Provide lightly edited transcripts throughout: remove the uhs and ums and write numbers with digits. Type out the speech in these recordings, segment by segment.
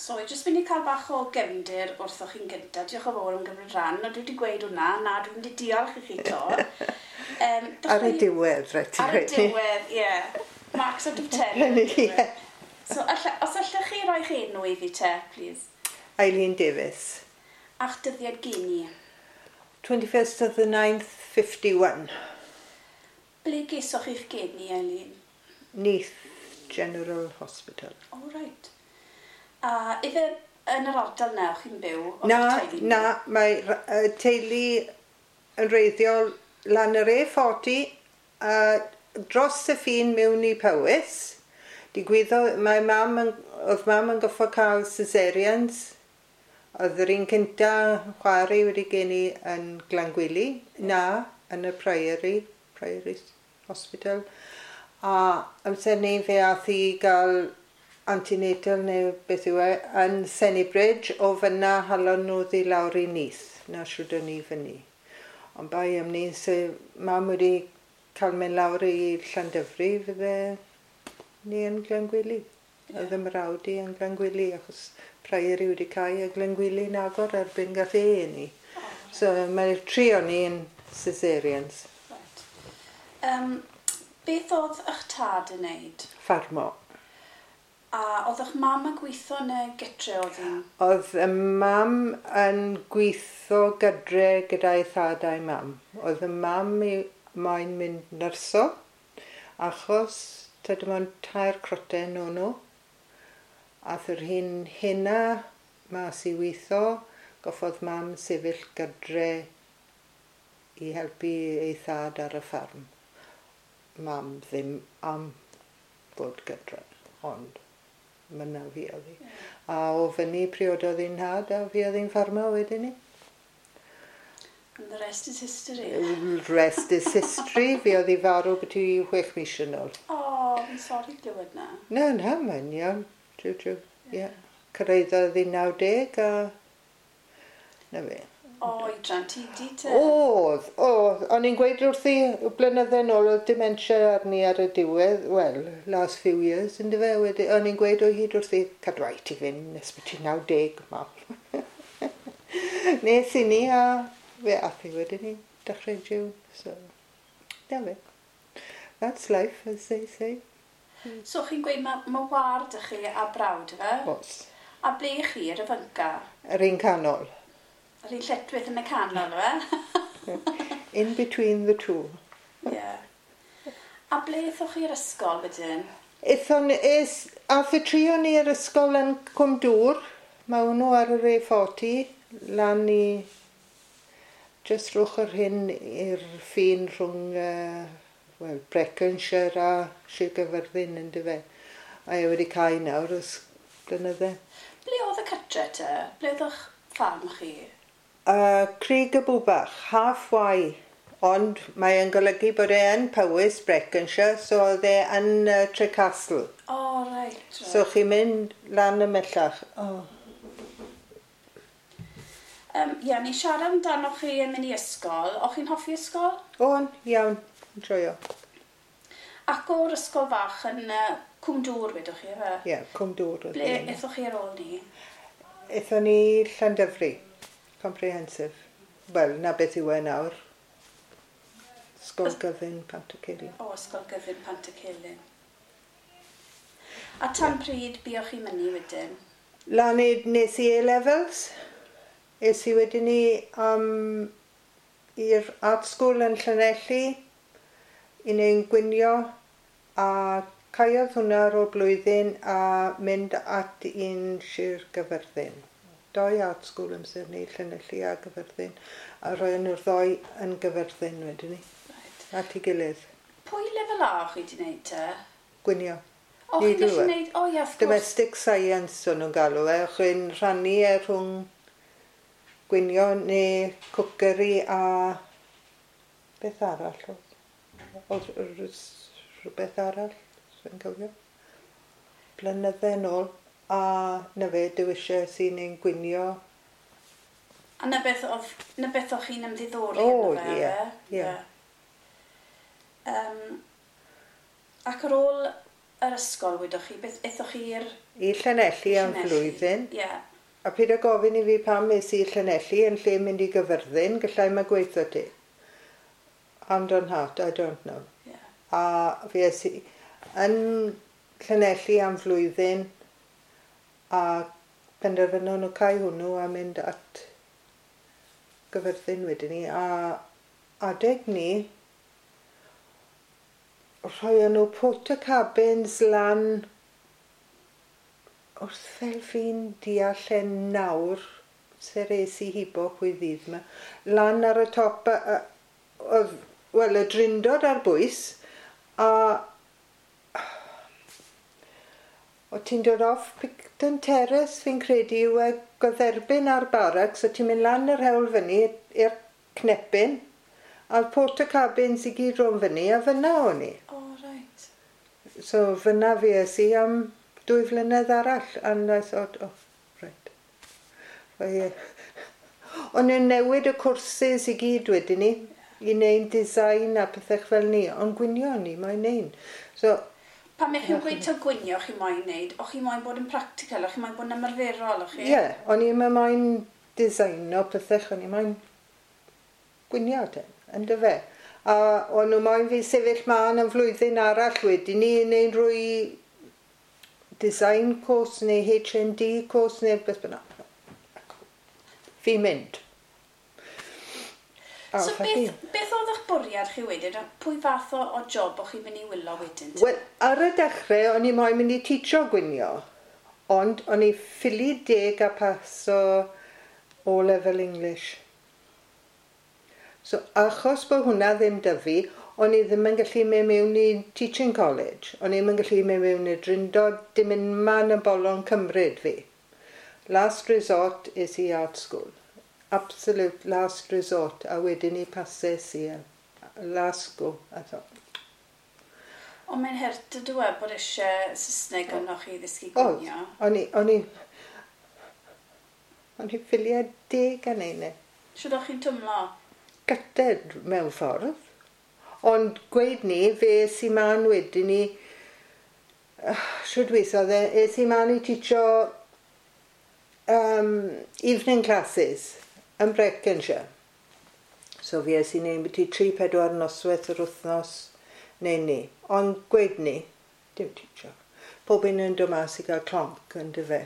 So, i jyst mynd i cael bach o gefndir wrthoch chi'n gyntaf. Diolch yn fawr am gymryd rhan. O, dwi wedi gweud hwnna. Na, dwi'n mynd i diolch i chi to. Ar y diwedd, rhaid ti Ar y diwedd, ie. Yeah. Marks out of 10. Ie. So, os allech chi roi'ch enw i fi te, please? Eileen Davies. A'ch dyddiad geni? 21st of the 9th, 51. Ble gesoch chi'ch geni, Eileen? Neath General Hospital. Oh, right. A ife yn yr ardal na o'ch chi'n byw? Oedd Na, y teulu'n na, byw? mae teulu yn wreiddiol lan yr A40 a dros y ffin mewn i Powys. Digwyddodd, oedd mam yn goffo cael cesareans. Oedd yr un cynta chwarae wedi geni yn Glangwili, na, yn y Priory Hospital. A amser ni fe ath i gael antenatal neu beth yw e, yn Sennybridge, o fyna halon nhw ddi lawr i Neath, na siwr o'n ni fyny. Ond bai am ni, se mam wedi cael mynd lawr i Llandyfri, fydde ni yn Glangwili. Oedd y mrawd i yn Glangwili, achos Priory wedi cau a Glangwili'n agor erbyn gath e ni. Oh, So mae'r tri o'n ni yn cesareans. right. Beth oedd eich tad yn neud? Ffarmo. A oedd eich mam yn gweithio neu gytre oedd hi'n? Oedd y mam yn gweithio gydre gyda'i thad a'i mam. Oedd y mam i moyn mynd nyrso, achos ta dim ond 3 croten o'n nhw. Ath yr hyn hynna mas i weithio, goffodd mam sefyll gydre i helpu ei thad ar y ffarm. Mam ddim am fod gydre, ond myna fi oedd hi. A o fyny priododd hi'n nhad a fi oedd hi'n ffarmo wedyn ni. And the rest is history. Rest is history. Fi oedd hi farw beth i 6 mis yn ôl. O, fi'n sori glywed na. Na, na, mae'n iawn. True, true. Ie. Cyrhaeddodd hi 90 a... Na fe. O, oedran ti di te? Oedd, oedd. O'n i'n gweud wrthi blynydde nôl oedd dementia arni ar y diwedd, wel, last few years, ynddo fe, wedi, o'n i'n gweud o hyd wrthi, cadw ai ti fynd nes bod ti 90, mam. Nes i ni, a fe ath hi wedyn ni, dechrau June, so, na fe. That's life, as they say. So chi'n gweud mae war dych chi a brawd fe? Os. A ble chi ar y fynca? Yr un canol. Yr un lletchwith yn y canol fe? In between the two. Ie. A ble aethoch chi i'r ysgol wedyn? Aethon, ath y tri o'n i i'r ysgol yn Cwmdŵr. Mae hwnnw ar yr A40, lan i just rwch yr hyn i'r ffin rhwng well, Breconshire a Sir Gaerfyrddin, yndyfe. A e wedi cau nawr ers blynydde. Ble oedd y cytre te? Ble oedd eich ffarm chi? Crug y Bwbach, halfway. Ond mae e'n golygu bod e yn Powys, Breconshire, so oedd e yn Trecastle. O, oh, reit. Right. So chi'n mynd lan ymhellach. Oh. Ie, ni siarad amdano chi yn mynd i ysgol. O'ch chi'n hoffi ysgol? O'n, iawn, yn joio. Ac o'r ysgol fach yn Cwmdŵr, wedwch chi, efe? Ie, yeah, Cwmdŵr. Ble aethoch chi ar ôl ni? Aethon ni Llandyfri, comprehensive. Wel, na beth yw e nawr. Ysgol Gyfun Pantycelyn. O, Ysgol Gyfun Pantycelyn. A tan pryd buoch chi'n mynd wedyn? Lan i, nes i A-levels. Es i wedyn ni i'r art school yn Llanelli i wneud gwinio a caeodd hwnna ar ôl blwyddyn a mynd at un Sir Gyfyrddin. Doi art school amser ni, Llanelli a Gyfyrddin, a rhoi nhw'r ddoi yn Gyfyrddin wedyn ni, Right. at ei gilydd. Pwy lefel A o'ch chi wedi wneud te? Gwinio. O, chi'n gallu Needlework. wneud... O, ie, wrth gwrs. Domestic science o'n nhw'n galw e, o'ch chi'n rhannu e rhwng gwinio neu cwceri a beth arall oedd? Oedd rhywbeth arall, dwi'n cofio. Blynydde yn ôl, a na fe, dewisiau sy'n ein gwinio. A na beth oedd, na beth o'ch chi'n ymddiddori O, ynddo fe, ie, efe? ie. Ac ar ôl yr ysgol, wedoch chi, beth aethoch chi i'r I Llanelli am flwyddyn. Ie. Yeah. A paid â gofyn i fi pam es i Llanelli yn lle mynd i Gyfyrddin, gallai mae gweithio ti. Hand on heart, I don't know. Yeah. A fi es i yn Llanelli am flwyddyn a penderfynon nhw cau hwnnw a mynd at Gyfyrddin wedyn ni. A adeg ni, rhoi nhw porta cabins lan wrth fel fi'n deall e nawr, ser es i hibo pwy ddydd yma, lan ar y top, oedd, wel, y Drindod ar bwys, a o ti'n dod off Picton Terrace, fi'n credu, yw e gydderbyn ar barracks, o ti'n mynd lan yr hewl fyny i'r Cnepyn, a'r porta cabins i gyd rownd fyny, a fyna o'n i. O, oh, right. So fyna fi es i am 2 flynedd arall, and I thought, oh, right. Ie. O'n nhw'n newid y cwrses i gyd wedyn ni, i wneud design a pethau fel ni, ond gwynio ni, mae'n neud. So, Pan ych chi'n gweud taw gwynio chi moyn wneud, o'ch chi moyn bod yn practical, o'ch chi moyn bod yn ymarferol, o'ch chi? Ie, yeah, o'n i'n moyn designo pethau, o'n i'n moyn gwynio te, yn fe. A o'n nhw moyn fi sefyll mân am flwyddyn arall wedyn ni, i wneud rwy design course neu HND course neu beth bynnag. Fi'n mynd. A So off â fi. beth oedd eich bwriad chi wedyn? A pwy fath o job o'ch chi'n mynd i wylo wedyn? te? Wel, ar y dechrau, o'n i moyn mynd i teacho gwynio, ond o'n i ffili deg a paso O-level English. So, achos bod hwnna ddim 'da fi, o'n i ddim yn gallu mynd mewn i teaching college. O'n i ddim yn gallu mynd mewn i Drindod, dim un man yn bolon cymryd fi. Last resort is i art school. Absolute last resort. A wedyn i pases i last go. I thought, Ond mae'n hurt ydw e bod eisiau Saesneg arnoch chi i ddysgu Oedd, gwynio. o'n i ffili deg yn ein e. Shwt o'ch chi'n twmlo? Gutted mewn ffordd. Ond gweud ni, fe es i man wedyn ni, shwt weithodd e, es i man i teacho evening classes yn Breconshire. So fi es i neud byti 3-4 noswaith yr wythnos neu ni. Ond gweud ni, dim teacho. Pob un yn dod mas i gael clonc yn dyfe.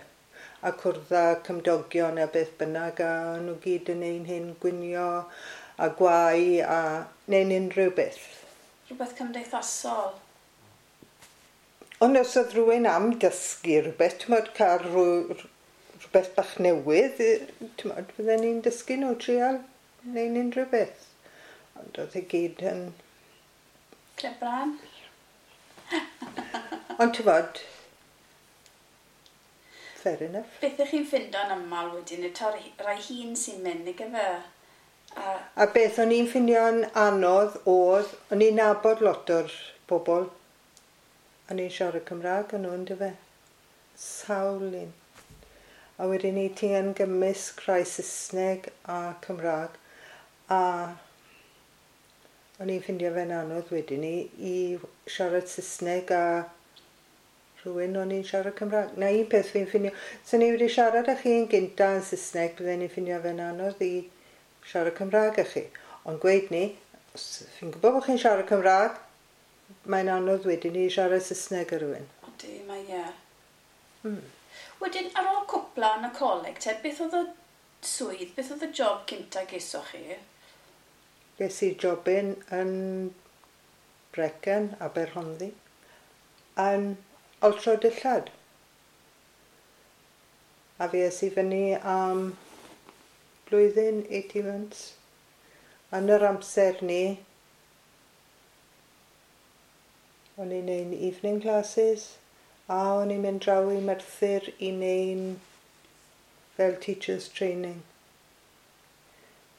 A cwrdd â cymdogion a beth bynnag a nhw gyd yn ein hyn gwynio a gwau a neu'n unrhyw beth. Rhywbeth cymdeithasol. Ond os oedd rhywun am dysgu rhywbeth, ti'n modd cael rhywbeth bach newydd, ti'n modd, bydden ni'n dysgu nhw trial neu'n unrhyw beth. Ond oedd e gyd yn. Clebran? Ond ti'n modd, fair enough. Beth ych chi'n ffindo'n aml wedyn yw taw rai hun sy'n mynd, nag efe? A beth o'n i'n ffinio'n anodd oedd, o'n i'n nabod lot o'r bobl. O'n i'n siarad Cymraeg yn nhw, yndyfe? Sawl un. A wedyn ni ti yn gymysg rhai Saesneg a Cymraeg. A o'n i'n ffindio fe'n anodd wedyn ni i siarad Saesneg a rhywun o'n i'n siarad Cymraeg. Na un peth fi'n ffindio... So ni wedi siarad â chi yn gynta yn Saesneg, bydden ni'n ffindio fe'n anodd i siarad Cymraeg â chi. Ond gweud ni, os fi'n gwybod bod chi'n siarad Cymraeg, mae'n anodd wedyn i siarad Saesneg â rhywun. Odi, mae ie. Wedyn, ar ôl cwpla yn y coleg, te, beth oedd y swydd, beth oedd y job cynta gesoch chi? Ges i jobyn yn Brecon, Aberhonddu, yn oltro dillad. A fi es i fyny am blwyddyn, 18 months. Yn yr amser ni, o'n i'n neud evening classes, a o'n i'n mynd draw i Merthyr i neud fel teachers training.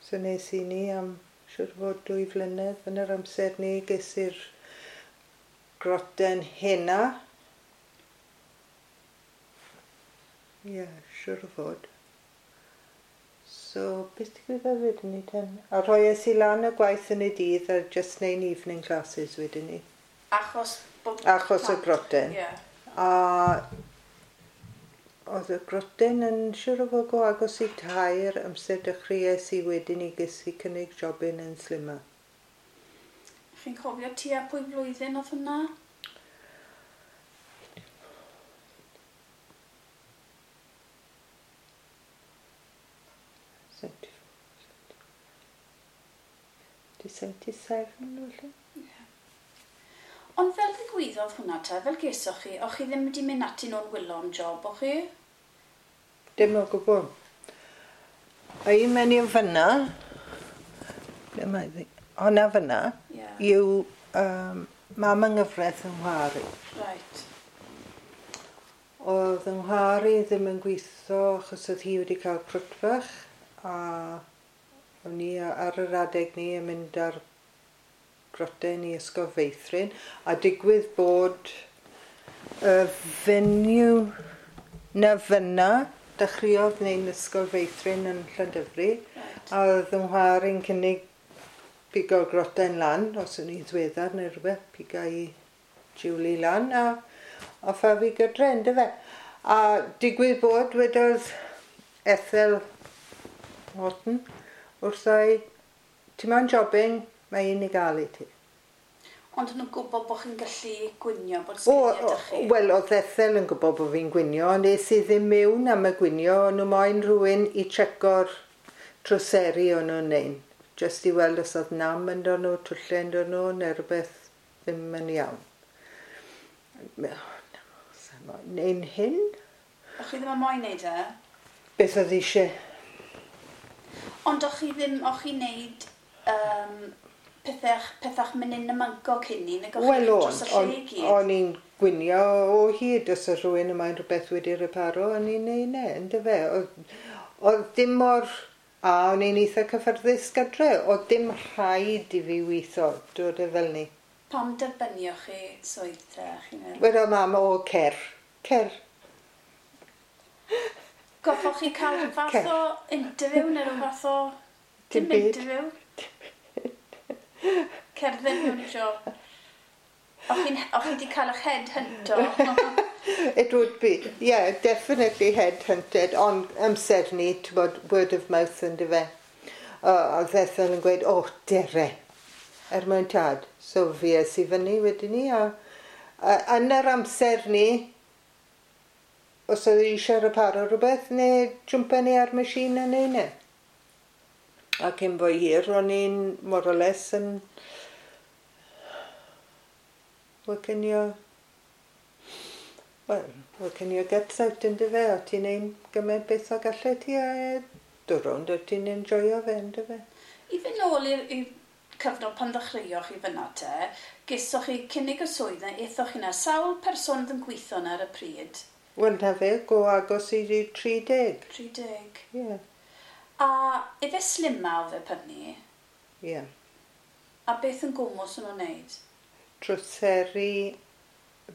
So nes i ni am siwr fod 2 flynedd yn yr amser ni ges i'r groten hena. Ie, yeah, siwr o fod. So, beth digwyddodd wedyn ni ten? A rhoi es i lan y gwaith yn y dydd a just neud evening classes wedyn ni. Achos Bod Achos y plant. groten. Ie. A oedd y groten yn siŵr o fod go agos i 3 amser dechreuais i wedyn i ges i cynnig jobyn yn Slimma. Chi'n cofio tua pwy flwyddyn oedd hwnna? Di 77 felly? Ond fel ddigwyddodd hwnna te, fel gesoch chi, o'ch chi ddim wedi mynd ati nhw'n wylo am job, o'ch chi? Dim o gwbl. A un menyw fyna, ble mae ddi? Honna fyna, Ie. yw mam yng nghyfraith yng Nghymru. Right. Oedd yng Nghymru ddim yn gweithio achos oedd hi wedi cael crwt fach a o'n i ar yr adeg ni yn mynd ar groten i ysgol feithrin a digwydd bod y fenyw na fyna dechreuodd wneud ysgol feithrin yn Llandyfri Right. a oedd yng Nghymru'n cynnig pigo'r groten lan os o'n i'n ddiweddar neu rhywbeth pigo i Julie lan a offa fi gydre yndyfe. A digwydd bod wedodd Ethel Horton wrtha i, ti moyn jobyn, mae un i gael i ti. Ond nhw'n gwybod bod chi'n gallu gwinio, bod O, sgiliau 'da chi? wel, oedd Ethel yn gwybod bod fi'n gwinio, ond es i ddim mewn am y gwinio, o'n nhw moyn rhywun i checo'r troseri o'n nhw'n neud. Jyst i weld os oedd nam ynddo nhw, twllau ynddo nhw, neu rhywbeth ddim yn iawn. Neu'n hyn? O'ch chi ddim yn moyn neud e? Beth oedd eisiau? Ond o'ch chi ddim, o'ch chi'n neud pethach menyn y manco cyn ni, nag o'ch Wel chi o'n, dros y lle i gyd? o'n i'n gwinio o hyd os oedd rhywun yma'n rhywbeth wedi reparo, o'n i'n neud e, yndyfe. Oedd dim mor... A o'n i'n eitha cyffyrddus gadre, oedd dim rhaid i fi weithio, dod e fel ni. Pam derbynioch chi swydd te, chi'n meddwl? Wedodd mam, o, cer, cer. Goffoch chi cael rhyw fath Cer. o interview neu rhyw fath o... Dim Dim byd. interview? Cerdded mewn i job. O'ch chi wedi cael eich head hunto? It would be, yeah, definitely head-hunted, ond amser ni, ti'n bod, word of mouth yndyfe. Oedd Ethel yn gweud, o, dere, er mwyn tad. So fi es i fyny wedyn ni, a yn yr amser ni, os oedd eisiau reparo rhywbeth, neu jwmpa ni ar machine a neu ne. A cyn bo hir, o'n i'n more or less yn working your, well, working your guts out yndyfe, o ti'n ein gymaint beth o gallu ti a dod rownd o ti'n enjoyo fe yndyfe. I fynd nôl i'r cyfnod pan ddechreuoch chi fyna te, gesoch chi cynnig y swydd na, aethoch chi na, sawl person oedd yn gweithio na ar y pryd? Wel, na fe, go agos i 30. 30. Ie, yeah. A efe Slimma oedd e prynu, ie. Yeah. a beth yn gwmws o'n nhw'n neud? Troseri,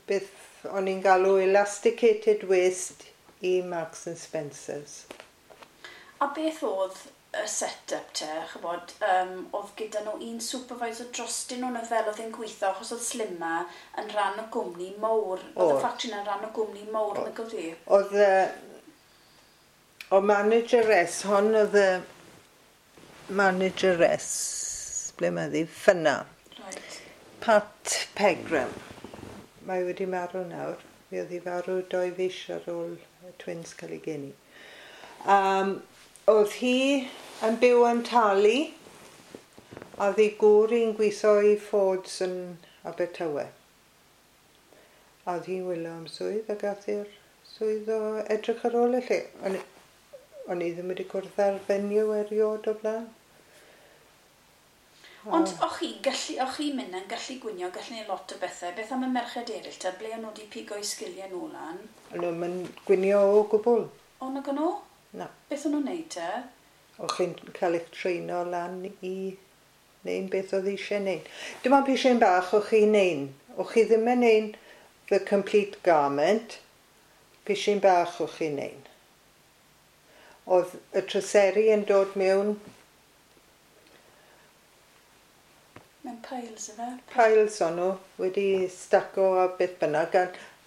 beth o'n i'n galw elasticated waist i Marks and Spencers. A beth oedd y set-up te, chybod, oedd gyda nhw un supervisor drostyn nhw neu fel oedd e'n gweithio, achos oedd Slimma yn rhan o gwmni mowr. Oedd y Oedd. ffatri yn rhan o gwmni mowr, nag oedd hi? Oedd y... O manageress, hon oedd y manageress, ble mae ddi, fyna. Right. Pat Pegram. Mae wedi marw nawr. Mi oedd hi farw 2 fis ar ôl y twins cael ei geni. Oedd hi yn byw yn Tali, a oedd ei gŵr hi'n gweithio i Fords yn Abertawe. A oedd hi'n wylo am swydd a gath hi'r swydd o edrych ar ôl y lle. O'n i ddim wedi cwrdd â'r fenyw erioed o blaen. Ond o'ch chi'n gallu, o'ch chi'n mynd yn gallu gwinio, gallu neud lot o bethau. Beth am y merched eraill te, ble o'n nhw wedi pigo'u sgiliau nhw lan? O'n nhw'n mynd gwinio o gwbl. O, nag o'n nhw? Na. Beth o'n nhw'n neud te? O'ch chi'n cael eich treino lan i neud beth oedd eisiau neud. Dim ond pishyn bach o'ch chi'n neud. O'ch chi ddim yn neud the complete garment. Pishyn bach o'ch chi'n neud. Oedd y troseri yn dod mewn Mewn Piles yfe? Piles o'n nhw, wedi staco a beth bynnag,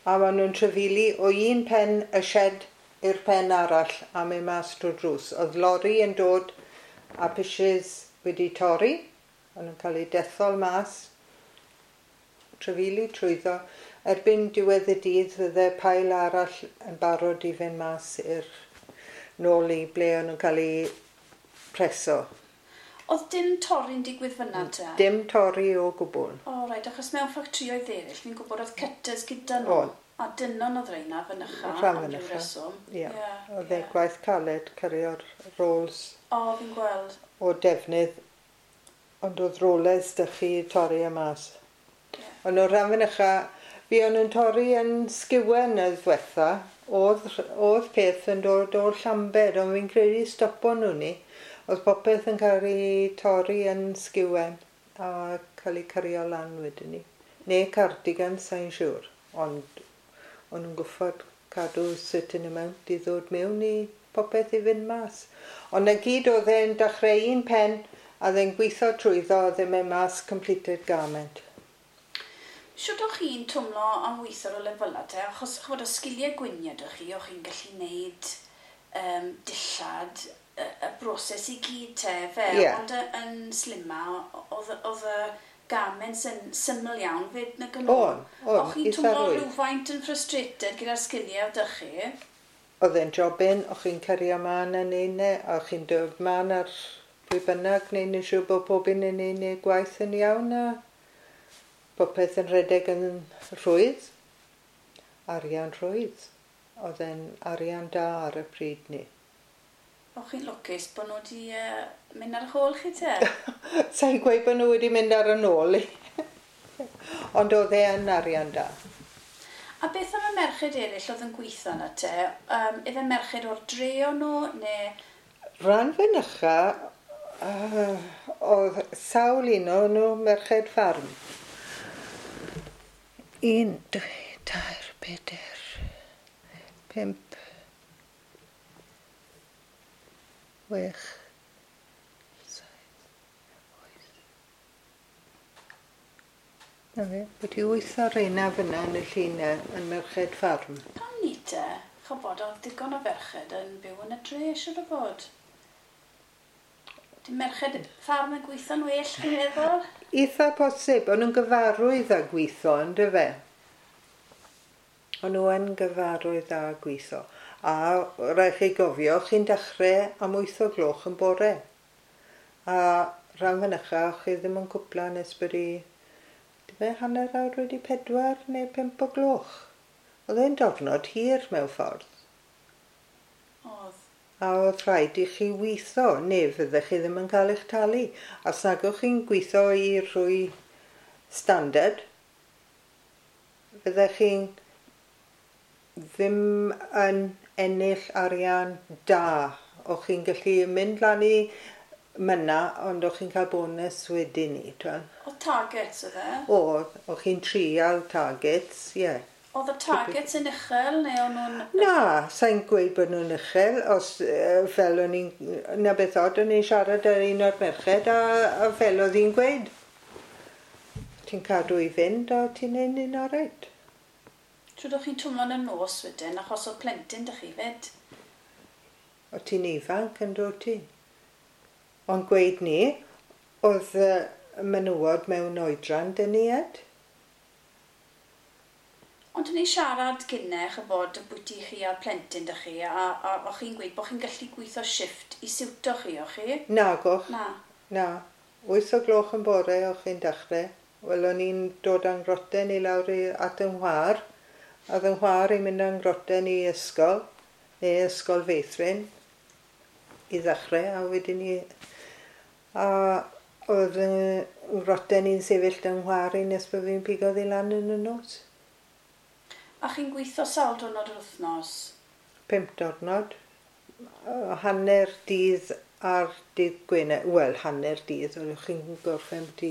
a maen nhw'n trafeili o un pen y shed i'r pen arall a mynd mas drwy'r drws. Oedd lori yn dod a pishes wedi torri, o'n nhw'n cael eu dethol mas, trafeili trwyddo. Erbyn diwedd y dydd fydde pile arall yn barod i fynd mas i'r nôl i ble o'n nhw'n cael eu preso. Oedd dim torri'n digwydd fyna te? Dim torri o gwbl. O, reit, achos mewn ffatrïoedd eraill, fi'n gwybod oedd cutters gyda nhw. Oedd. A dynon oedd reina fynycha Rhan am ryw fynycha. reswm. Ie. Ie, Oedd e ie. gwaith caled cario'r rolls O, fi'n gweld. o defnydd, ond oedd rollers 'da chi torri y mas. Ie. Ond o'r rhan fynycha, fi o'n nhw'n torri yn Sgiwen y ddiwetha, oedd peth yn dod o'r Llambed, ond fi'n credu stopo nhw ni. Oedd popeth yn cael ei torri yn Sgiwen a cael ei cario lan wedyn ni. Neu Cardigan, sa'n siŵr, ond o'n nhw'n gwffod cadw certain amount i ddod mewn i popeth i fynd mas. Ond na gyd oedd e'n dechrau un pen a oedd e'n gweithio trwyddo a oedd e'n mynd mas completed garment. Shwt o'ch chi'n twmlo am weithio ar y lefelau te? Achos ch'mod, o sgiliau gwyniad o'ch chi, o'ch chi'n gallu neud dillad, y broses i gyd te, fe. Ie. Ond yn Slimma, oedd y garments yn syml iawn fyd nag yn nhw? O'n, o'n, O'ch chi'n eitha twmlo rhwydd. rhywfaint yn frustrated gyda'r sgiliau oedd 'da chi? Oedd e'n jobyn, o'ch chi'n cario man yn un e, a o'ch chi'n dod man ar pwy bynnag, neu'n yn siŵr bod pob un yn un neu gwaith yn iawn a popeth yn rhedeg yn rhwydd. Arian rhwydd. Oedd e'n arian da ar y pryd ni. O'ch chi'n lwcus bod nhw wedi mynd ar eich ôl chi te? Sa'n gweud bod nhw wedi mynd ar y nôl i. Ond oedd e yn arian da. A beth am y merched eraill oedd yn gweithio yna te? Ife merched o'r dre o'n nhw, neu... Rhan fynycha, oedd sawl un o'n nhw merched ffarm. 1, 2, 3, 4, 5, 6, 7, 8. Na fe, wedi wyth o'r reina fyna yn y llun yn merched ffarm. Pam ni te? Ch'bod, oedd digon o ferched yn byw yn y dre, siŵr o fod. Di merched ffarm yn gweithio'n well, chi'n meddwl? Eitha posib, o'n nhw'n gyfarwydd â gweithio, on'd fe? O'n nhw yn gyfarwydd â gweithio. A rhaid chi gofio, chi'n dechrau am 8 o gloch yn bore. A rhan fynycha, chi ddim yn cwpla nes bod i, dim e, 4:15 neu 5 o gloch. Oedd e'n diwrnod hir mewn ffordd. Oedd. A oedd rhaid i chi weithio, neu fyddech chi ddim yn cael eich talu. Os nag o'ch chi'n gweithio i rwy standard, fyddech chi'n ddim yn ennill arian da. O'ch chi'n gallu mynd lan i myna, ond o'ch chi'n cael bonus wedyn ni. Twel. Oedd targets oedd e? Oedd, o'ch chi'n trial targets, ie. Yeah. Oedd y targets yn uchel, neu o'n nhw'n... Na, sa'n gweud bod nhw'n uchel, os fel o'n i'n, na beth od, o'n i'n siarad ar un o'r merched a fel oedd hi'n gweud. Ti'n cadw i fynd a ti'n neud un oreit. Trwy o'ch chi'n twmlo yn y nos wedyn, achos oedd plentyn 'da chi fyd. O ti'n ifanc yn dod ti. Ond gweud ni, oedd menywod mewn oedran dyn ni ed. Ond o'n i siarad gynne, ch'bod, ambwti chi a'r plentyn 'da chi, a o'ch chi'n gweud bod chi'n gallu gweithio shifft i siwto chi, o'ch chi? Nagoch. Na. Na. 8 o gloch yn bore o'ch chi'n dechrau. Wel, o'n i'n dod â'n groten i lawr i, at yng nghwar. A oedd yng nghwar i'n mynd â'n groten i ysgol, neu ysgol feithrin, i ddechrau, a wedyn ni... A oedd yng nghroten i'n sefyll yng nghwar i nes bod fi'n pigo ddi lan yn y nos. A chi'n gweithio sawl diwrnod yr wythnos? 5 diwrnod. Hanner dydd ar dydd Gwener. Wel, hanner dydd, oedd chi'n gorffen di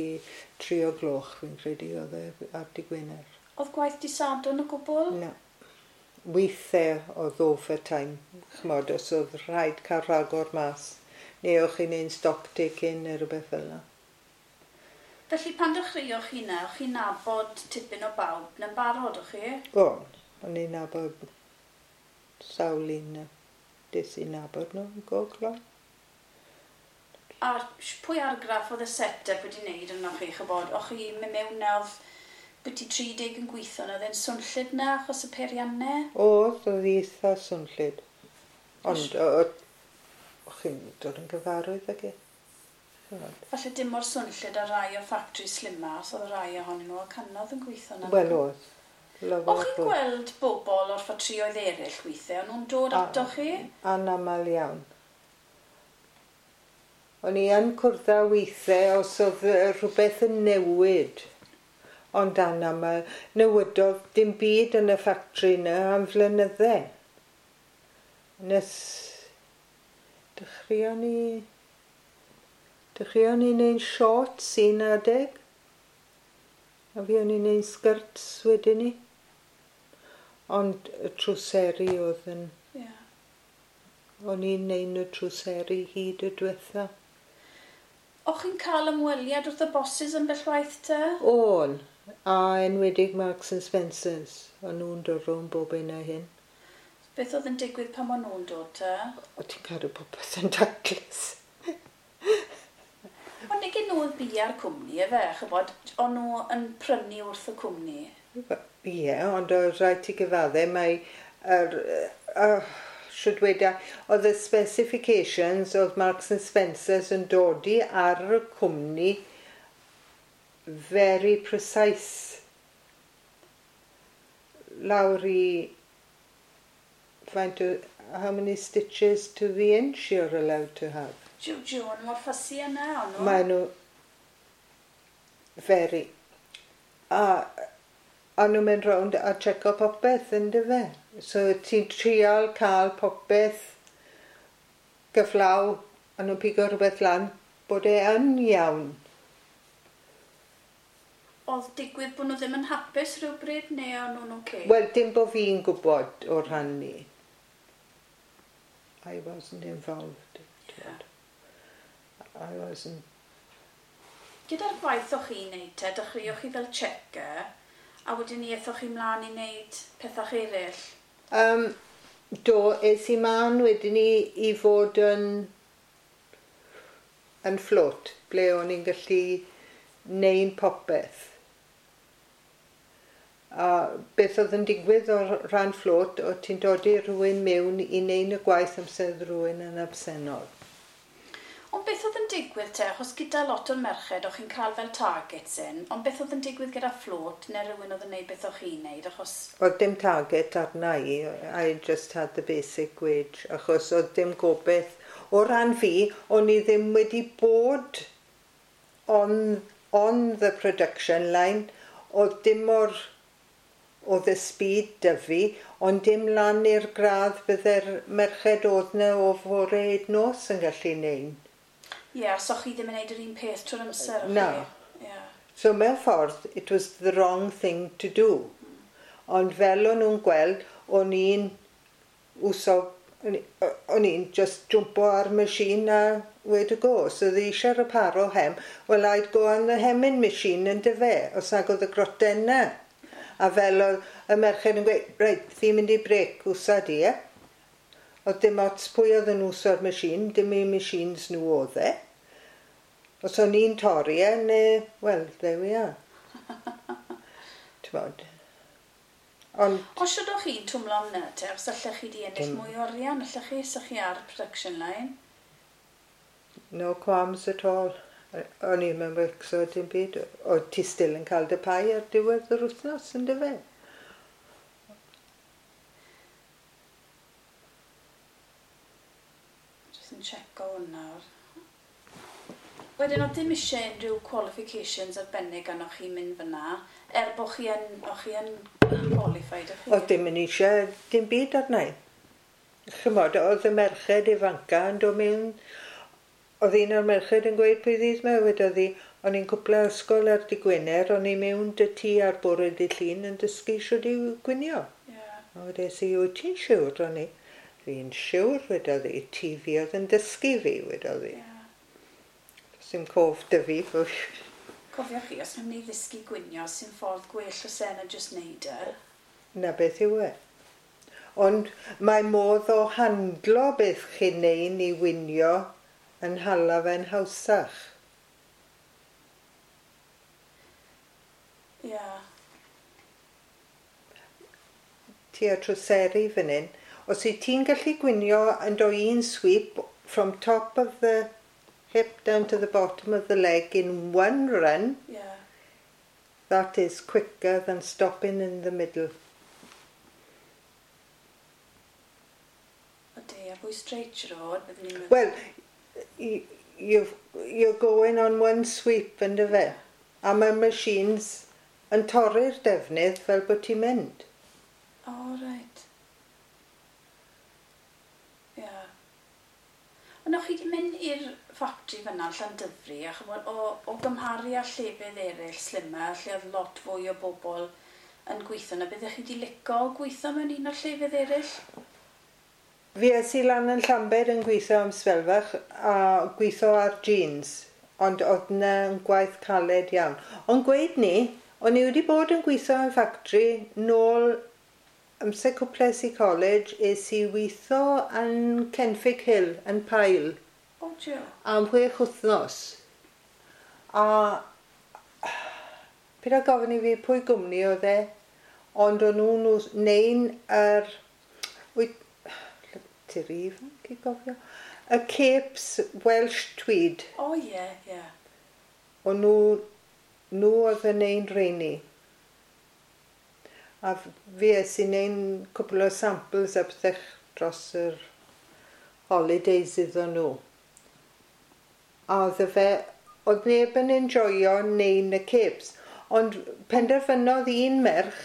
3 o gloch, fi'n credu, oedd e ar dydd Gwener. Oedd gwaith di Sadwrn o gwbl? Na. Weithiau oedd overtime, ch'mod, os oedd rhaid cael rhagor mas, neu o'ch chi'n neud stock taking neu rhywbeth fel yna. Felly pan dechreuoch chi na, o'ch chi'n nabod tipyn o bawb na'n barod, o'ch chi? O'n, o'n i'n nabod sawl un na. Des i nabod nhw yn go gloi. A pwy argraff oedd y set-up wedi wneud arnoch chi, chybod? O'ch chi'n mynd mewn na oedd byti 30 yn gweithio na, oedd e'n swnllyd na achos y peiriannau? Oedd eitha swnllyd. Ond o'ch chi'n dod yn gyfarwydd ag e. Falle dim mor swnllyd ar rai o factory slimma, os oedd rai ohonyn nhw a canodd yn gweithio na. Wel oedd. O'ch chi'n gweld bobl o'r ffatrïoedd eraill weithiau, o'n nhw'n dod atoch chi? Anamal iawn. O'n i yn cwrdd â weithiau os oedd rhywbeth yn newid. Ond anamal, newidodd dim byd yn y ffatri yna am flynydde. Nes dechreuon ni wneud shorts un adeg. A fi o'n i'n neud skirts wedyn ni. Ond y trwseri oedd yn... Yeah. O'n i'n neud y trwseri hyd y diwetha. O'ch chi'n cael ymweliad wrth y bosses yn bell waith te? O'n, a enwedig Marks and Spencer's. O'n nhw'n dod rownd bob un a hyn. Beth oedd yn digwydd pan o'n nhw'n dod te? O, ti'n cadw popeth yn taclus. Ond nid nhw oedd bia'r cwmni, efe, chybod, o'n nhw yn prynu wrth y cwmni? Ie, ond oedd rhaid ti gyfadde, mae siwt weda, oedd y specifications oedd Marks and Spencer's yn dodi ar y cwmni very precise. Lawr i faint o, how many stitches to the inch you're allowed to have. Jiw, jiw, o'n mor ffysi yna, o'n nhw? Maen nhw very. A nhw'n mynd rownd a checo popeth, yndyfe? So ti'n trial cael popeth gyflaw, a nhw'n pigo rhywbeth lan, bod e yn iawn. Oedd digwydd bod nhw ddim yn hapus rhywbryd, neu o'n nhw'n oce? Wel, dim bod fi'n gwybod o'r rhan ni. I wasn't involved. Yeah. I wasn't. Gyda'r gwaith o'ch chi'n neud te, dechreuoch chi fel checker, a wedyn ni aethoch chi mlaen i wneud pethau eraill? Do, es i mlaen wedyn ni i fod yn float, ble o'n i'n gallu neud popeth. A beth oedd yn digwydd o ran float, o ti'n dod i rhywun mewn i neud y gwaith amser rhywun yn absennol. Ond beth oedd yn digwydd te, achos gyda lot o'r merched, o'ch chi'n cael fel targets in, ond beth oedd yn digwydd gyda float, neu rhywun oedd yn neud beth o'ch chi'n neud, achos... Oedd dim target arna i, I just had the basic wage, achos oedd dim gobeith. O ran fi, o'n i ddim wedi bod on the production line, oedd dim o'r... oedd y speed 'da fi, ond dim lan i'r gradd bydde'r merched oedd na o fore hyd nos yn gallu neud. Ie, yeah, so chi ddim yn neud yr un peth trwy'r amser? Na. Yeah. So mewn ffordd, it was the wrong thing to do. Ond fel o'n nhw'n gweld, o'n i'n wso, o'n i'n just jumpo ar machine a where to go. So oedd eisiau reparo hem, well I'd go on the hemming machine yn dyfe, os nag oedd y groten na. A fel oedd y merched yn gweud, reit, fi'n mynd i brec wsa di, e? Oedd dim ots pwy oedd yn wso'r machine, dim eu machines nhw oedd e. Os o'n i'n torri e, neu, well, there we are. T'mod. Ond... Os siwr o'ch chi'n twmlo am na te, os allech chi di ennill mwy o arian, allech chi, os chi ar production line? No qualms at all. O'n i'n mynd becso dim byd. O ti still yn cael dy pai ar diwedd yr wythnos, yn dyfe? Just yn checo hwn nawr. Wedyn, oedd dim eisiau unrhyw qualifications arbennig arnoch chi'n mynd fyna, er bod chi yn, o'ch chi yn qualified, o'ch chi? Oedd dim yn eisiau dim byd arna i. Chymod, oedd y merched ifanca yn dod mewn... Oedd un o'r merched yn gweud pwy ddydd 'ma, wedodd hi, o'n i'n cwpla ysgol ar dy Gwener, o'n i mewn dy tŷ ar bore dydd Llun yn dysgu shwd i gwinio. Yeah. A wedes i, wyt ti'n siwr? O'n i, fi'n siwr, wedodd hi, ti fi oedd yn dysgu fi, wedodd hi. Yeah. Sim cof dy fi. Cofiwch chi, os nhw'n mynd i ddysgu gwinio, sy'n ffordd gwell o sen a jyst neud e. Na beth yw e. Ond mae modd o handlo beth chi'n neud i winio yn hala fe'n hawsach. Ie. Yeah. Ti a trwseri fan hyn. Os wyt ti'n gallu gwinio yn do un sweep from top of the hip down to the bottom of the leg in one run, that is quicker than stopping in the middle. Odi, a fwy straight siwr o fod, byddwn ni'n meddwl. Well, you're going on one sweep yn dy fe. A mae machines yn torri'r defnydd fel bod ti'n mynd. O, reit. Ie. Yeah. Ond o'ch chi wedi mynd i'r ffactri fyna yn Llandyfri, a chymod, o gymharu â llefydd eraill slimmer, lle oedd lot fwy o bobl yn gweithio yna, byddech chi wedi licio gweithio mewn un o'r llefydd eraill? Fi es i lan yn Llambed yn gweithio am sbel fach a gweithio ar jeans, ond oedd yna yn gwaith caled iawn. Ond gweud ni, o'n i wedi bod yn gweithio yn ffactri nôl amser cwples i college, es i weithio yn Kenfig Hill, yn Pyle. O, jiw. Am 6 wythnos. A paid â gofyn i fi pwy gwmni oedd e, ond o'n nhw'n neud yr... Ti'n rhy ifanc i gofio? Y capes Welsh Tweed. O, ie, ie. O'n nhw oedd yn neud rheini. A fi es i neud cwpl o samples a pethau dros yr holidays iddyn nhw. A oedd neb yn enjoyo neud y capes. Ond penderfynodd un merch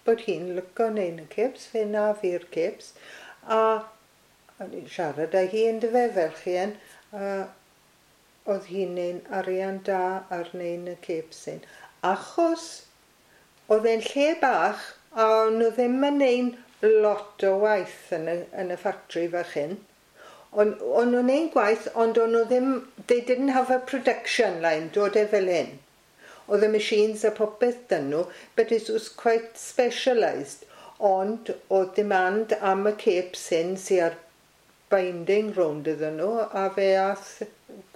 bod hi'n licio neud y capes, fe na fi'r capes. A o'n i'n siarad â hi yn dyfe fel chi yn, a oedd hi'n neud arian da ar neud y capes hyn. Achos oedd e'n lle bach a o'n nhw ddim yn neud lot o waith yn y ffactri fach hyn. O'n nhw'n neud gwaith, ond o'n nhw ddim, they didn't have a production line, dod e fel hyn. Oedd y machines a popeth dyn nhw, but it was quite specialised. Ond oedd demand am y capes hyn sy ar binding rownd iddyn nhw, a fe ath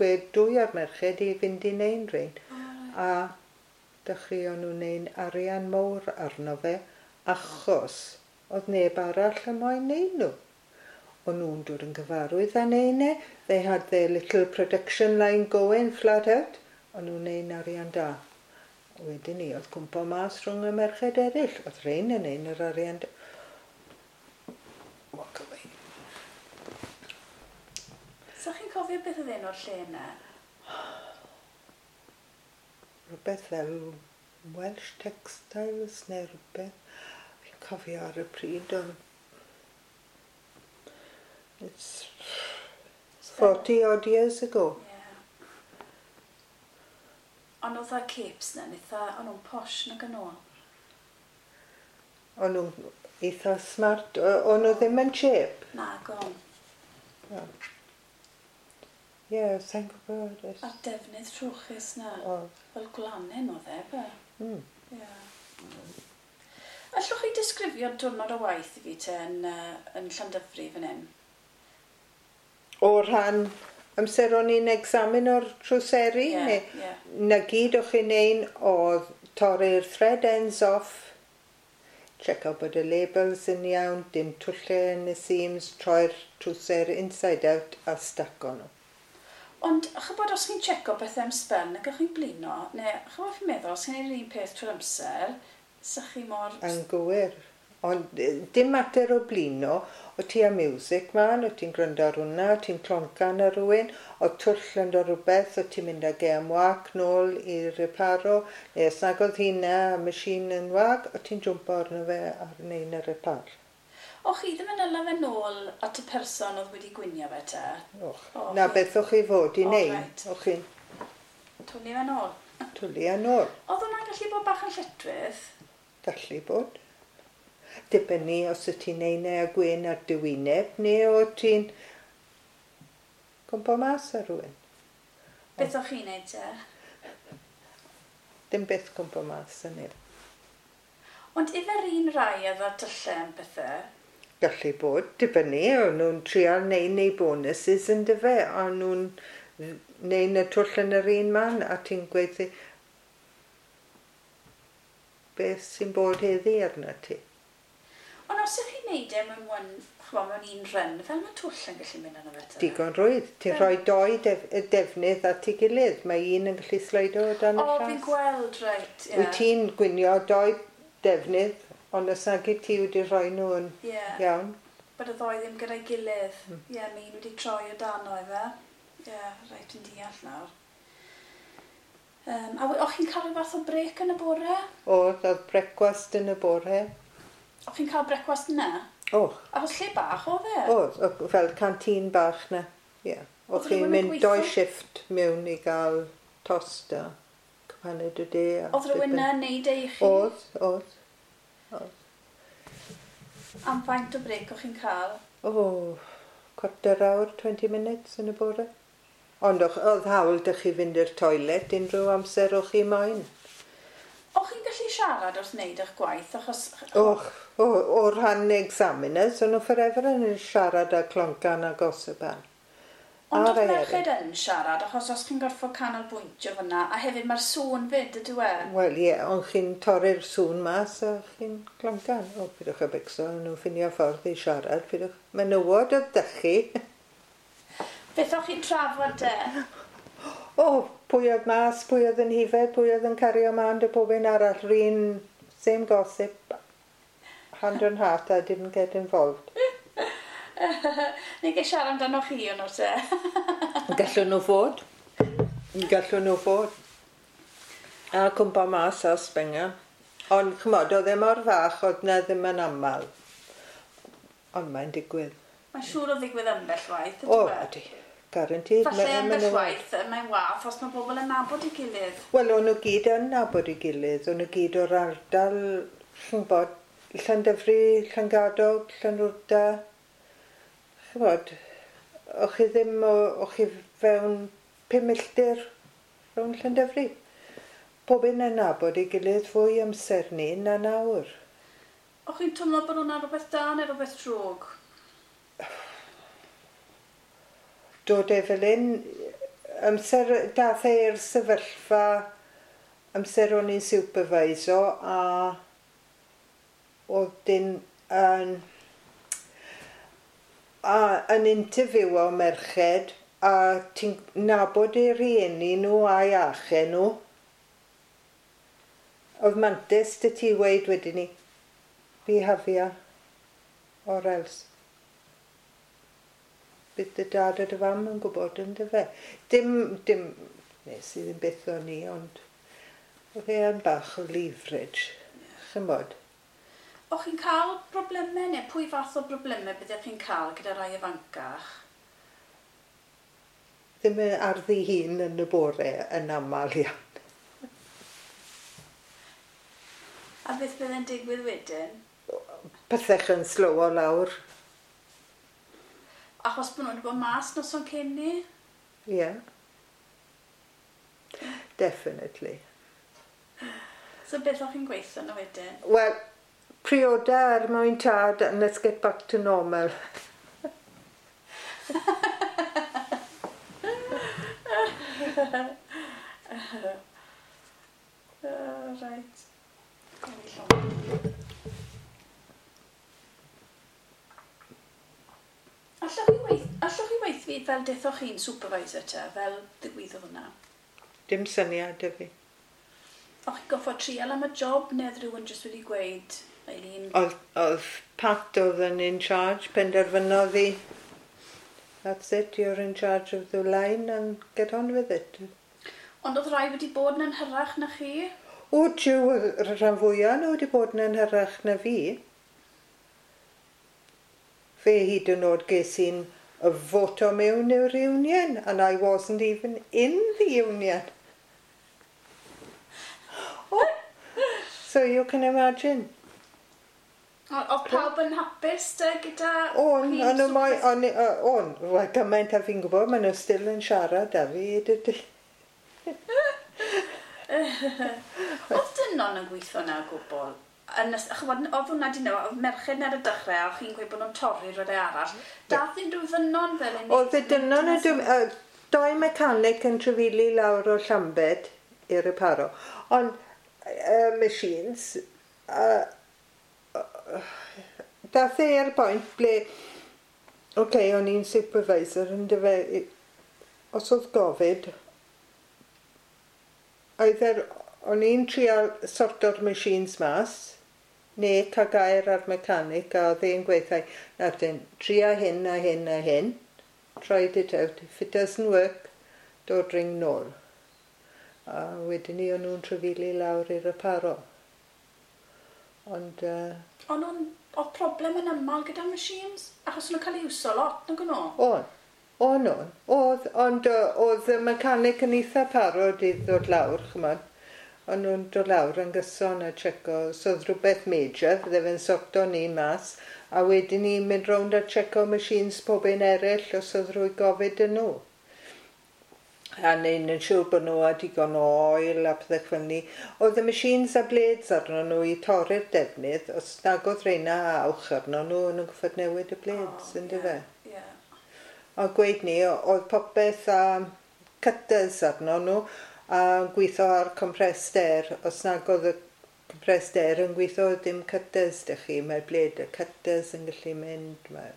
gwed dwy o'r merched i fynd i neud rhein. A dechreuon nhw neud arian mawr arno fe, achos oedd neb arall yn moyn neud nhw. O'n nhw'n dod yn gyfarwydd â neud e. They had their little production line going flat out. O'n nhw'n neud arian da. Wedyn ni, oedd cwmpo mas rhwng y merched eraill. Oedd rhein yn neud yr arian da. Walk away. So chi'n cofio beth oedd enw'r lle yna? Rhywbeth fel Welsh Textiles neu rhywbeth. Fi'n cofio ar y pryd, ond it's 40 odd years ago. Yeah. Ond oedd y capes na, o'n nhw'n posh nag yn ôl? O'n nhw'n eitha smart, o'n nhw ddim yn cheap. Na, gon. Ie, sa'n gwybod. A'r defnydd trwchus na, fel gwlanen oedd e, be? Ie. Allwch chi disgrifio diwrnod o waith i fi te yn Llandyfri fan hyn? O rhan amser o'n i'n examine o'r trwseri? Yeah, yeah. Na gyd o'ch chi'n neud oedd torri'r thread ends off, check out bod y labels yn iawn, dim twllau yn y seams, troi'r trwser inside out a stack o'n nhw. Ond, chybod, os chi'n checo bethau am sbel, nag o'ch chi'n blino, neu chybod chi'n meddwl, os chi'n neud yr un peth trwy'r amser, sa'ch chi mor... Yn gywir. Ond dim mater o blino, o ti a music man, o ti'n gwrando ar hwnna, o ti'n cloncan ar rhywun, o twll yn do rhywbeth, o ti'n mynd ag e am wac nôl i reparo, neu os nag oedd hynna, a machine yn wag, o ti'n jwmpo arno fe ar neud y repar. O, chi ddim yn yla fe nôl at y person oedd wedi gwinio fe te? Och, na beth o'ch chi fod i wneud. Reit. O'ch chi'n... Twlu fe nôl? Twlu e nôl. Oedd hwnna'n gallu bod bach yn lletchwith? Gallu bod. Dibynnu os y ti'n neud neu a gwyn ar dy wyneb, neu o ti'n gwmpo mas ar rhywun. Beth o'ch chi'n neud te? Dim byth cwmpo mas yn neb. Ond ife'r un rai oedd â tyllau yn pethau? Gallu bod, dibynnu, o'n nhw'n trial neud neu bonuses yn dyfe, o'n nhw'n neud y twll yn yr un man, a ti'n gweud beth sy'n bod heddi arna ti. Ond os ydych chi'n neud e mewn one, ch'mo, mewn un run, fel mae twll yn gallu mynd arno fe te? Digon rwydd. Ti'n rhoi doi defnydd at ei gilydd. Mae un yn gallu sleido o dan y O, llas. fi'n gweld, reit, ie. Wyt ti'n gwinio doi defnydd, ond os nag i ti wedi rhoi nhw yn iawn. Bod y ddoi ddim gyda'i gilydd. Ie, mae un wedi troi o dano efe. Ie, reit, fi'n deall nawr. A o'ch chi'n cael rhyw fath o brec yn y bore? Oedd, oedd brecwast yn y bore. O'ch chi'n cael brecwast yna? Och, Achos lle bach oedd e? oedd, oedd fel canteen bach na. Ie. Oedd O'ch chi'n rhywun yn mynd gweithio? doi shift mewn i gael tost a cwpaned o de. a Oedd rhywun dipyn. yna yn neud e i chi? Oedd, oedd. Oedd. Am faint o brec o'ch chi'n cael? O, cwarter awr, 20 minutes yn y bore. Ond oedd hawl dych chi fynd i'r toilet unrhyw amser o'ch chi moyn. O'ch chi'n gallu siarad wrth wneud eich gwaith, achos... Och, o rhan examiners, o'n nhw forever yn siarad a cloncan a gossipan. Ond A oedd rai merched eraill. yn siarad, achos os chi'n gorfod canolbwyntio fyna, a hefyd mae'r sŵn fyd, ydyw e? Wel, ie, ond chi'n torri'r sŵn mas a chi'n cloncan. O, pidwch â becso, o'n nhw'n ffinio ffordd i siarad. Pidwch. Menywod oedd dych chi. Beth o'ch chi'n trafod de? O, pwy oedd mas, pwy oedd yn hifed, pwy oedd yn cario mlaen dy pob un arall. R'un, same gossip, hand on heart, I didn't get involved. Neu gael siarad amdano chi o'n te? Gallwn nhw fod. Gallwn nhw fod. A cwmpa mas a sbenga. Ond, ch'mod, oedd e mor fach, oedd na ddim yn aml. Ond mae'n digwydd. Mae'n siŵr o ddigwydd ambell waith, O, ydw e? ydy. Guaranteed. Falle ambell waith, mae'n wath os mae bobl yn nabod ei gilydd. Wel, o'n nhw gyd yn nabod ei gilydd. O'n nhw gyd o'r ardal, ch'mbod, Llandyfri, Llangadog, Llanwrda. Ch'mbod, o'ch chi ddim, o'ch chi fewn 5 milltir rhwng Llandyfri. Pob un yn nabod ei gilydd fwy amser ni na nawr. O'ch chi'n twmlo bod hwnna'n rhywbeth da neu rhywbeth drwg? Dod e fel un, amser dath e i'r sefyllfa, amser o'n i'n supervisor a oedd dyn yn, a yn interview o merched a ti'n nabod eu rhieni nhw a'i achau nhw. Oedd mantis dy ti weid wedyn ni, behafia or else. Bydd dy dad a dy fam yn gwybod yn dy fe. Dim, dim, nes i ddim byth o'n i, ond oedd e yn bach o leverage, ch'mbod. O'ch chi'n cael problemau neu pwy fath o problemau byddech chi'n cael gyda rai ifancach? Ddim yn ar ddi hun yn y bore yn aml iawn. A beth bydd yn digwydd wedyn? Pethech yn slowo lawr, Achos bod nhw wedi bod mas noson cyn ni? ie. Yeah. Definitely. So beth o'ch chi'n gweithio nhw wedyn? Wel, prioda er mwyn tad and let's get back to normal. Reit. Gawn ni llond. Allwch chi weith fi fel dethoch chi'n supervisor te, fel ddigwyddodd hwnna? Dim syniad 'da fi. O'ch chi'n goffod trial am y job neu oedd rhywun jyst wedi gweud, Eileen, Oedd Pat oedd yn in charge, penderfynodd i, that's it, you're in charge of the line and get on with it. Ond oedd rai wedi bod yn hyrach na chi? O, jiw, oedd y rhan fwyaf nhw wedi bod yn hyrach na fi. Fe hyd yn oed ges i'n voto mewn i'r union, and I wasn't even in the union. Oh, so you can imagine. Oedd pawb yn hapus te gyda On, chi'n o'n nhw moi, super- on, on, wel, gymaint a fi'n gwybod, maen nhw still yn siarad â fi, dydy. Oedd dynon yn gweithio na o gwbl? Yn, chymod, oedd hwnna di newid, oedd merched ar y dechrau, a chi'n gweud bod nhw'n torri rhywle arall. Dath unrhyw ddynon fel un? Oedd y dynon yn... Doi mechanic yn trafeili lawr o Llambed i reparo. Ond machines, dath e i'r bwynt ble, oce, okay, o'n i'n supervisor, yn dyfe, os oedd gofid, either o'n i'n trial sorto'r machines mas, neu cael gair ar mechanic, a oedd e'n gweithio, nawr dyn, tria hyn a hyn a hyn, tried it out, if it doesn't work, dod ring nôl. A wedyn ni o'n nhw'n trafeili lawr i'r reparo. Ond... O'n nhw'n... Oedd problem yn aml gyda machines? Achos o'n nhw'n cael ei iwso lot, nag o'n nhw? O'n. O'n nhw. Oedd, ond oedd y mechanic yn eitha parod i ddod lawr, chymod. O'n nhw'n dod lawr yn gyson a checo. So oedd rhywbeth major, fydde fe'n sorto ni mas. A wedyn ni mynd rownd a checo machines pob un eraill os oedd rhwy gofid yn nhw. A neud yn siŵr bod nhw â digon o oil a pethau fel ni. Oedd y machines a blades arno nhw i torri'r defnydd, os nag oedd reina awch arno nhw, o'n nhw'n gorfod newid y blades, oh, yndyfe? Ie. Yeah. A gweud ni, oedd popeth a cutters arno nhw, a gweithio ar compressed air. Os nag oedd y compressed air yn gweithio, dim cutters dych chi, mae'r blade y cutters yn gallu mynd. Mae'r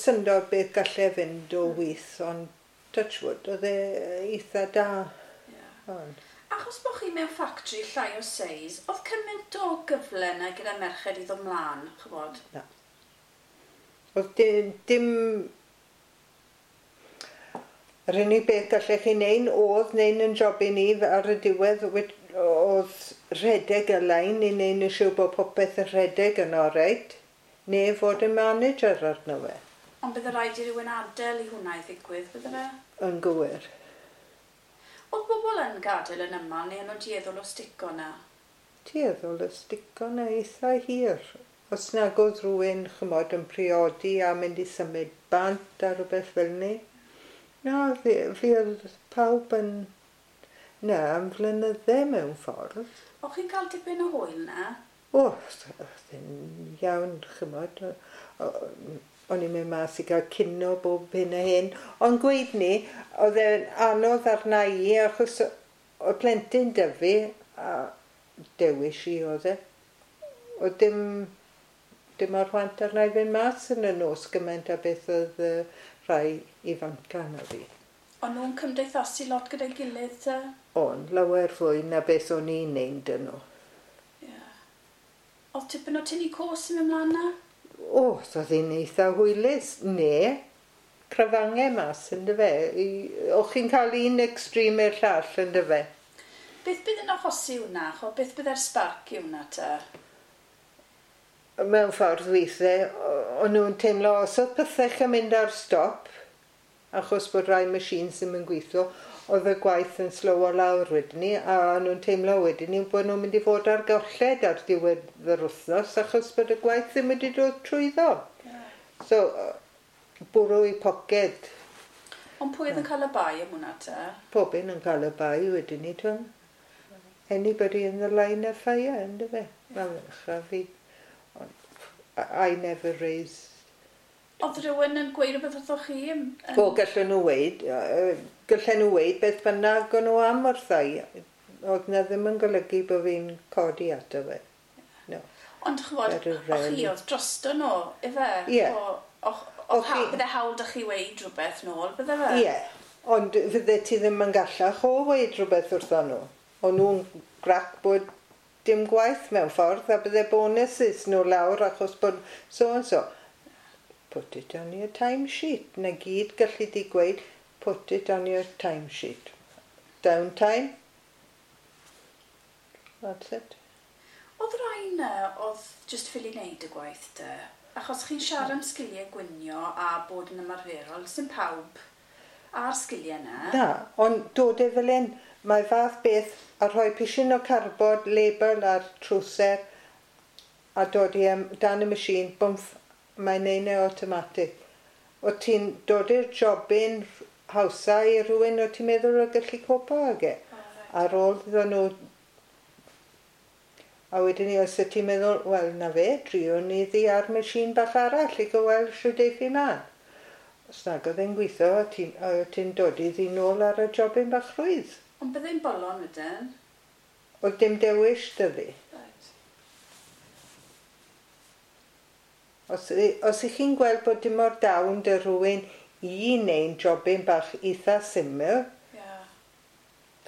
syndod beth gallai fynd o wyth, ond touch wood, oedd e eitha da. Yeah. Ond. Achos bod chi mewn factory llai o seis, oedd cymaint o gyfle yna gyda merched i ddod mlaen, chybod? Na. Oedd dim. Yr unig beth gallech chi neud oedd neud yn job i ni ar y diwedd oedd rhedeg y lein i neud yn siŵr bod popeth yn rhedeg yn oreit, neu fod yn manager arno fe. Ond bydde rhaid i rywun adael i hwnna i ddigwydd, bydde fe? Yn gywir. Oedd bobl yn gadael yn yma, neu yn nhw'n dueddol o stico na? Tueddol o stico na eitha hir. Os nag oedd rhywun, chymod, yn priodi a mynd i symud bant a rhywbeth fel ni. Na, fi oedd pawb yn... Na, am flynydde mewn ffordd. O'ch chi'n cael dipyn o hwyl na? O, oedd yn iawn, chymod. O'n i'n mynd mas i gael cino bob hyn a hyn. Ond gweud ni, oedd e'n anodd arna i, achos oedd plentyn 'da fi, a dewis i oedd e. Oedd dim o'r chwant arna i fynd mas yn y nos gymaint a beth oedd rhai ifanca na fi. O'n nhw'n cymdeithasu lot gyda'i gilydd te? O'n, lawer fwy na beth o'n i'n neud yn nhw. Ie. Yeah. Oedd tipyn o tynnu cos yn mynd mlaen na? O, oedd hi'n eitha hwylus. Ne, crafangau mas, yndyfe. O'ch chi'n cael un extreme i'r llall, yndyfe. Beth bydd yn achosi hwnna? Cho, beth bydd spark i hwnna te? Mewn ffordd weithiau, o'n nhw'n teimlo os oedd pethau yn mynd ar stop, achos bod rai machines ddim yn gweithio, oedd y gwaith yn slowo lawr wedyn ni, a o'n nhw'n teimlo wedyn ni bod nhw'n mynd i fod ar golled ar diwedd yr wythnos, achos bod y gwaith ddim wedi dod trwyddo. Yeah. So, bwrw i poced. Ond pwy oedd yn cael y bai am hwnna te? Pob un yn cael y bai wedyn ni, tw'n. Anybody in the line of fire, yndyfe? Wel, yeah. Fi. I never raised. Oedd rhywun yn gweud rhywbeth wrthoch chi? O, gallen nhw weud beth bynnag o'n nhw am wrtha i. Oedd na ddim yn golygu bod fi'n codi ato fe. No. Ond ch'mod, o'ch chi oedd drosto nhw, ife? Ie. Bydde hawl 'da chi weud rhywbeth nôl, bydde fe? Ie, ond fydde ti ddim yn gallach o weud rhywbeth wrtho nhw. O'n nhw'n grac bod dim gwaith mewn ffordd, a bydde bonuses nhw lawr achos bod so and so. Put it on your timesheet. Na gyd gallu di gweud, put it on your timesheet. Downtime. That's it. Oedd rai na oedd just ffili wneud y gwaith te? Achos chi'n siarad am sgiliau gwynio a bod yn ymarferol, sy'n pawb a'r sgiliau yna. Na, ond dod e fel un, mae fath beth a rhoi pishin o cardboard label ar trwser a dod i dan y machine, bwmff, mae'n neud e automatic. O ti'n dod i'r jobyn hawsa i rhywun o ti'n meddwl o gallu copo ag e. Ar ôl iddyn nhw, a wedyn ni, os y ti'n meddwl, wel, na fe, driwn ni ddi ar machine bach arall i gweld shwt eiff hi mlan. Os nag oedd e'n gweithio, ti'n dod i ddi nôl ar y jobyn bach rhwydd. Ond byddai'n bolon wedyn? Oedd dim dewis 'da fi. Right. Os ych chi'n gweld bod dim o'r dawn 'da rhywun i wneud jobyn bach eitha syml,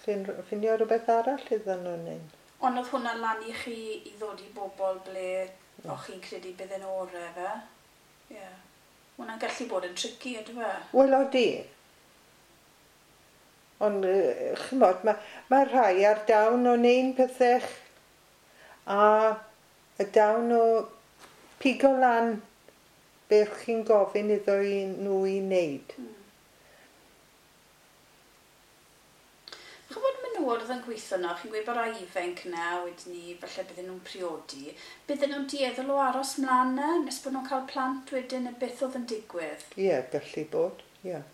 chi'n ffindio rhywbeth arall iddyn nhw wneud. Ond oedd hwnna lan i chi i ddod i bobl ble o'ch chi'n credu bydd yn orau fe? Ie. Yeah. Hwnna'n gallu bod yn tricky, ydw e? Wel, odi. Ond, ch'mod, mae rhai ar dawn o wneud pethau a y dawn o pigo lan beth chi'n gofyn iddo i nhw i wneud. Ch'mod menywod oedd yn gweithio yno, chi'n gweud bod rai ifanc yna, wedyn ni, falle bydden nhw'n priodi. Bydden nhw'n dueddol o aros mlaen na, nes bod nhw'n cael plant wedyn, neu beth oedd yn digwydd? Ie, yeah, gallu bod, ie. Yeah.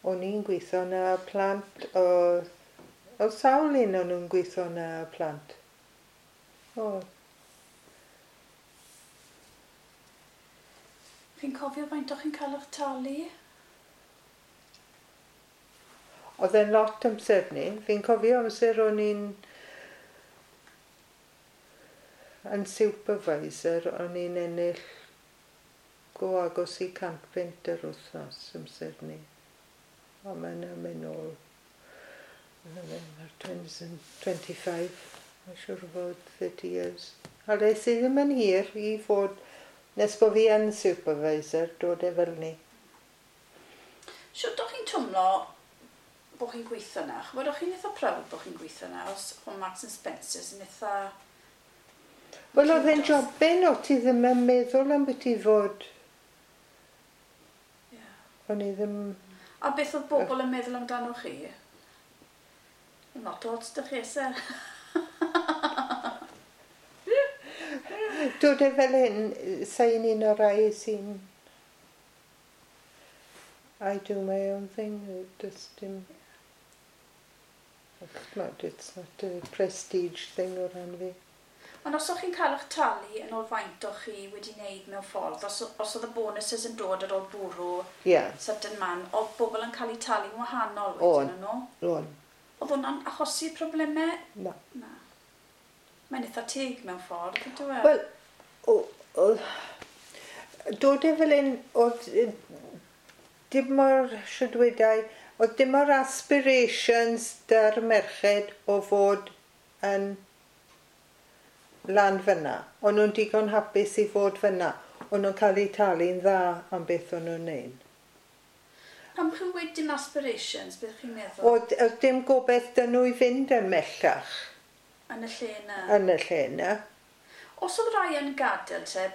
O'n i'n gweithio na plant, oedd sawl un o'n nhw'n gweithio na plant. O. Chi'n cofio faint o'ch chi'n cael eich talu? Oedd e'n lot amser ni. Fi'n cofio amser o'n i'n yn supervisor, o'n i'n ennill go agos i £100 yr wythnos amser ni. O, mae'n mynd nôl. Mae'r 25, mae'n siŵr o fod 30 years. A le sydd ddim yn hir i fod, nes bod fi yn supervisor, dod e fel ni. Shwt o'ch chi'n twmlo bod chi'n gweithio yna? Ch'mod, o'ch chi'n eitha proud bod chi'n gweithio yna, os o Marks and Spencer's yn eitha. Wel, oedd e'n jobyn o ti ddim yn meddwl am beth i fod. O'n i ddim. A beth oedd bobl yn meddwl amdano chi? Not ots 'da chi, se? Dod e fel hyn, sa'n un o'r rai sy'n. I do my own thing, does dim. Ch'mod, it's not a prestige thing o ran fi. Ond os o'ch chi'n cael eich talu yn ôl faint o'ch chi wedi wneud mewn ffordd, os oedd y bonuses yn dod ar ôl bwrw certain man, oedd bobl yn cael eu talu'n wahanol wedyn yn nhw? O'n. Oedd hwnna'n achosi problemau? Na. Na. Mae'n eitha teg mewn ffordd, ydw e? Wel, dod e fel un, oedd dim mor, shwd wedai, oedd dim mor aspirations 'da'r merched o fod yn lan fyna. O'n nhw'n digon hapus i fod fyna. O'n nhw'n cael eu talu'n dda am beth o'n nhw'n neud. Pam chi'n gweud dim aspirations, beth chi'n meddwl? Oedd dim gobeith 'da nhw i fynd yn mellach. Yn y lle yna? Yn y lle yna. Os oedd rai yn gadael te,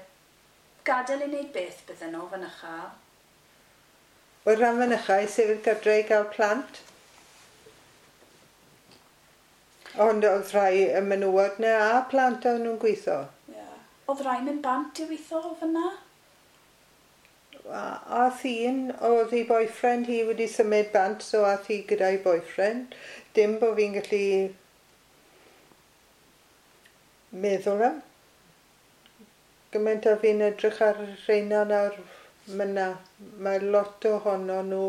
gadael i wneud beth bydden nhw fynycha? Wel, rhan fynycha i sefyll gytre i gael plant. Ond oedd rhai y menywod na a plant o'n nhw'n gweithio. Yeah. Oedd rai mynd bant i weithio o fyna? A un, oedd ei boyfriend hi wedi symud bant, so ath hi gyda'i boyfriend. Dim bod fi'n gallu meddwl am. Gymaint a fi'n edrych ar rheina nawr, myna, mae lot ohono nhw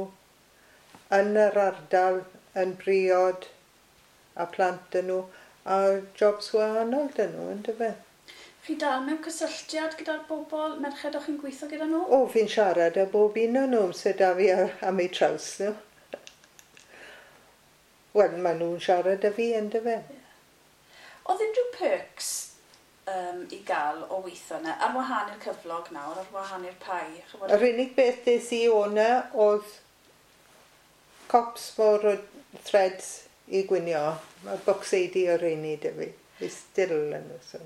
yn yr ardal yn briod a plant dyn nhw a jobs wahanol dyn nhw, yndyfe? Chi dal mewn cysylltiad gyda'r bobl, merched o'ch chi'n gweithio gyda nhw? O, fi'n siarad â bob un o'n nhw sydd da fi am eu traws nhw. Wel, maen nhw'n siarad â fi, yndyfe? Yeah. Oedd unrhyw perks i gael o weithio yna, ar wahân i'r cyflog nawr, ar wahân i'r pai? Ch'mod? Yr unig beth des i o'na oedd cops mor o threads i gwynio. Mae bocseidi o reini 'da fi. Fi still yn nhw. So.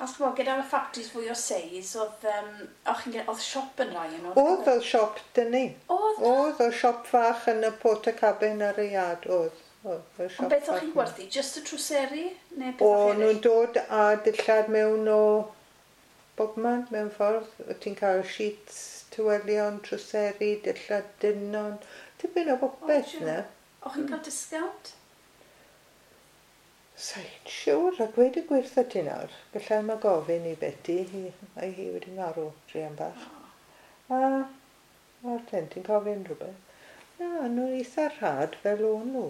A ch'mod, gyda'r factories fwy o seis, oedd, oedd siop yn rai yn Oedd siop 'da ni. Oedd? Oedd, oedd siop fach yn y portacabin ar y iard, oedd. Oedd, oedd siop Ond beth o'ch fach chi'n yna. gwerthu? Just y trwseri? Neu beth O, o'ch nhw'n dod â dillad mewn o bobman, mewn ffordd. O ti'n cael sheets, tywelion, trwseri, dillad dynon, tipyn o bopeth O, na. O'ch chi'n cael discount? Sa'n siŵr, a gweud y gwir wrtho ti nawr, gallai yma gofyn i Betty, hi, mae hi wedi marw, druan bach. A, a'r ten, ti'n cofio rhywbeth? Na, nhw'n eitha rhad fel o'n nhw.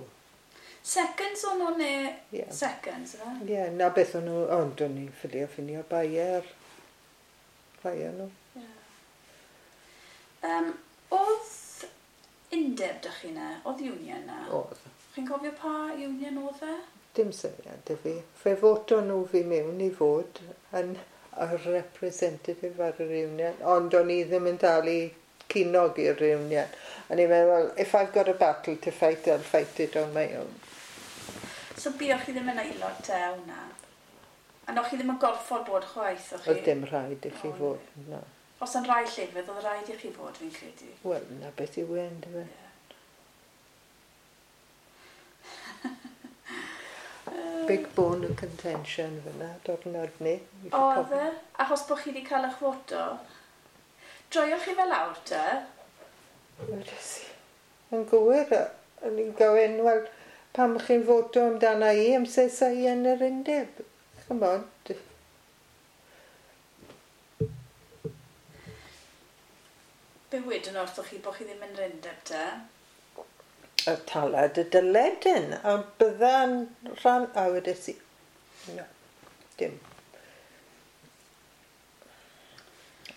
Seconds o'n nhw neu Ie. Seconds, yfe? Ie, yeah, na beth o'n nhw, ond o'n i'n ffilio ffinio bai ar rhai o'n nhw. Ie. Oedd undeb dych chi na? Oedd union na? Oedd. Chi'n cofio pa union oedd e? Dim syniad 'da fi. Fe foto nhw fi mewn i fod yn y representative ar yr union, ond o'n i ddim yn dal i ceiniog i'r union. O'n i'n meddwl, if I've got a battle to fight, I'll fight it on my own. So buoch chi ddim yn aelod te hwnna? A o'ch chi ddim yn gorfod bod chwaith, o'ch chi? Oedd dim rhaid i chi O, fod, na. Os yn rai llefydd, oedd rhaid i chi fod, fi'n credu. Wel, na beth yw e, yndyfe? Ie. Big bone of contention fyna, diwrnod ni. Oedd e? Achos bod chi wedi cael eich foto? Droioch chi fel lawr te? Wedes i. Yn gywir, o'n i'n gofyn, wel, pam chi'n foto amdana i, amser sa i yn yr undeb? Ch'mod, Be wedyn wrthoch chi bod chi ddim yn yr undeb te? Y talad y dyledyn, a bydda'n rhan, a wedes i, no, dim.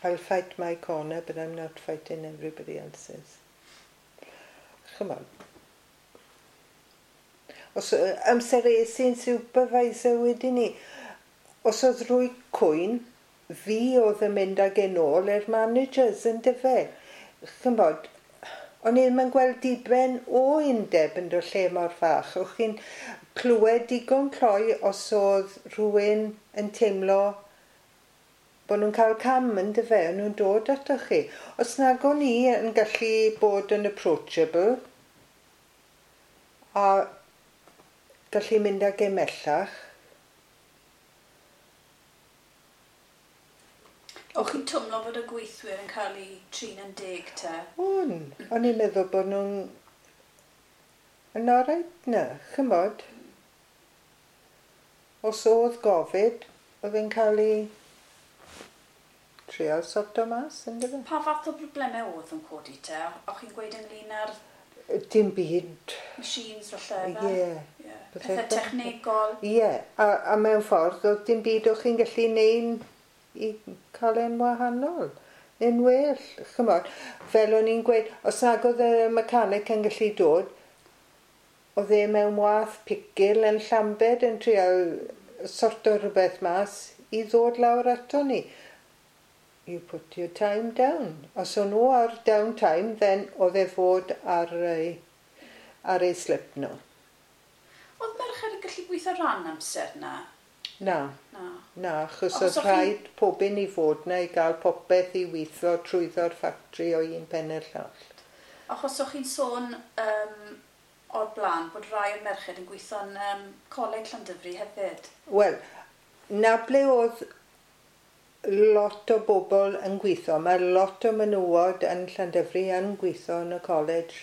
I'll fight my corner, but I'm not fighting everybody else's. Ch'mod. Os amser es i'n supervisor wedyn ni, os oedd rwy cwyn, fi oedd yn mynd ag e nôl i'r managers yn dyfe. Ch'mod, o'n i ddim yn gweld diben o undeb yn dod lle mor fach. O'ch chi'n clywed digon cloi os oedd rhywun yn teimlo bod nhw'n cael cam yn dyfe, o'n nhw'n dod atoch chi. Os nag o'n i yn gallu bod yn approachable a gallu mynd ag e mellach. O'ch chi'n twmlo bod y gweithwyr yn cael eu trin yn deg te? O'n, o'n i'n meddwl bod nhw'n yn oreit na, ch'mod. Os oedd gofid, oedd e'n cael ei trial sorto mas, yndyfe? Pa fath o broblemau oedd yn codi te? O'ch chi'n gweud ynglyn â'r Dim byd. machines falle? Ie. Yeah. Pethau technegol? Ie, yeah. A mewn ffordd, oedd dim byd o'ch chi'n gallu neud i cael e'n wahanol, neu'n well, ch'mod. Fel o'n i'n gweud, os nag oedd y mechanic yn gallu dod, oedd e mewn wath picil yn Llambed yn trial sorto rhywbeth mas i ddod lawr ato ni. You put your time down. Os o'n nhw ar down time, then oedd e fod ar ei slip nhw. Oedd merched yn gallu gweithio ran amser na? Na. Na. Na, achos oedd rhaid pob un i fod na i gael popeth i weithio trwyddo'r ffactri o un pen i'r llall. Achos o'ch chi'n sôn o'r blaen bod rai o'r merched yn gweithio'n Coleg Llandyfri hefyd. Wel, na ble oedd lot o bobl yn gweithio. Mae lot o menywod yn Llandyfri yn gweithio yn y college.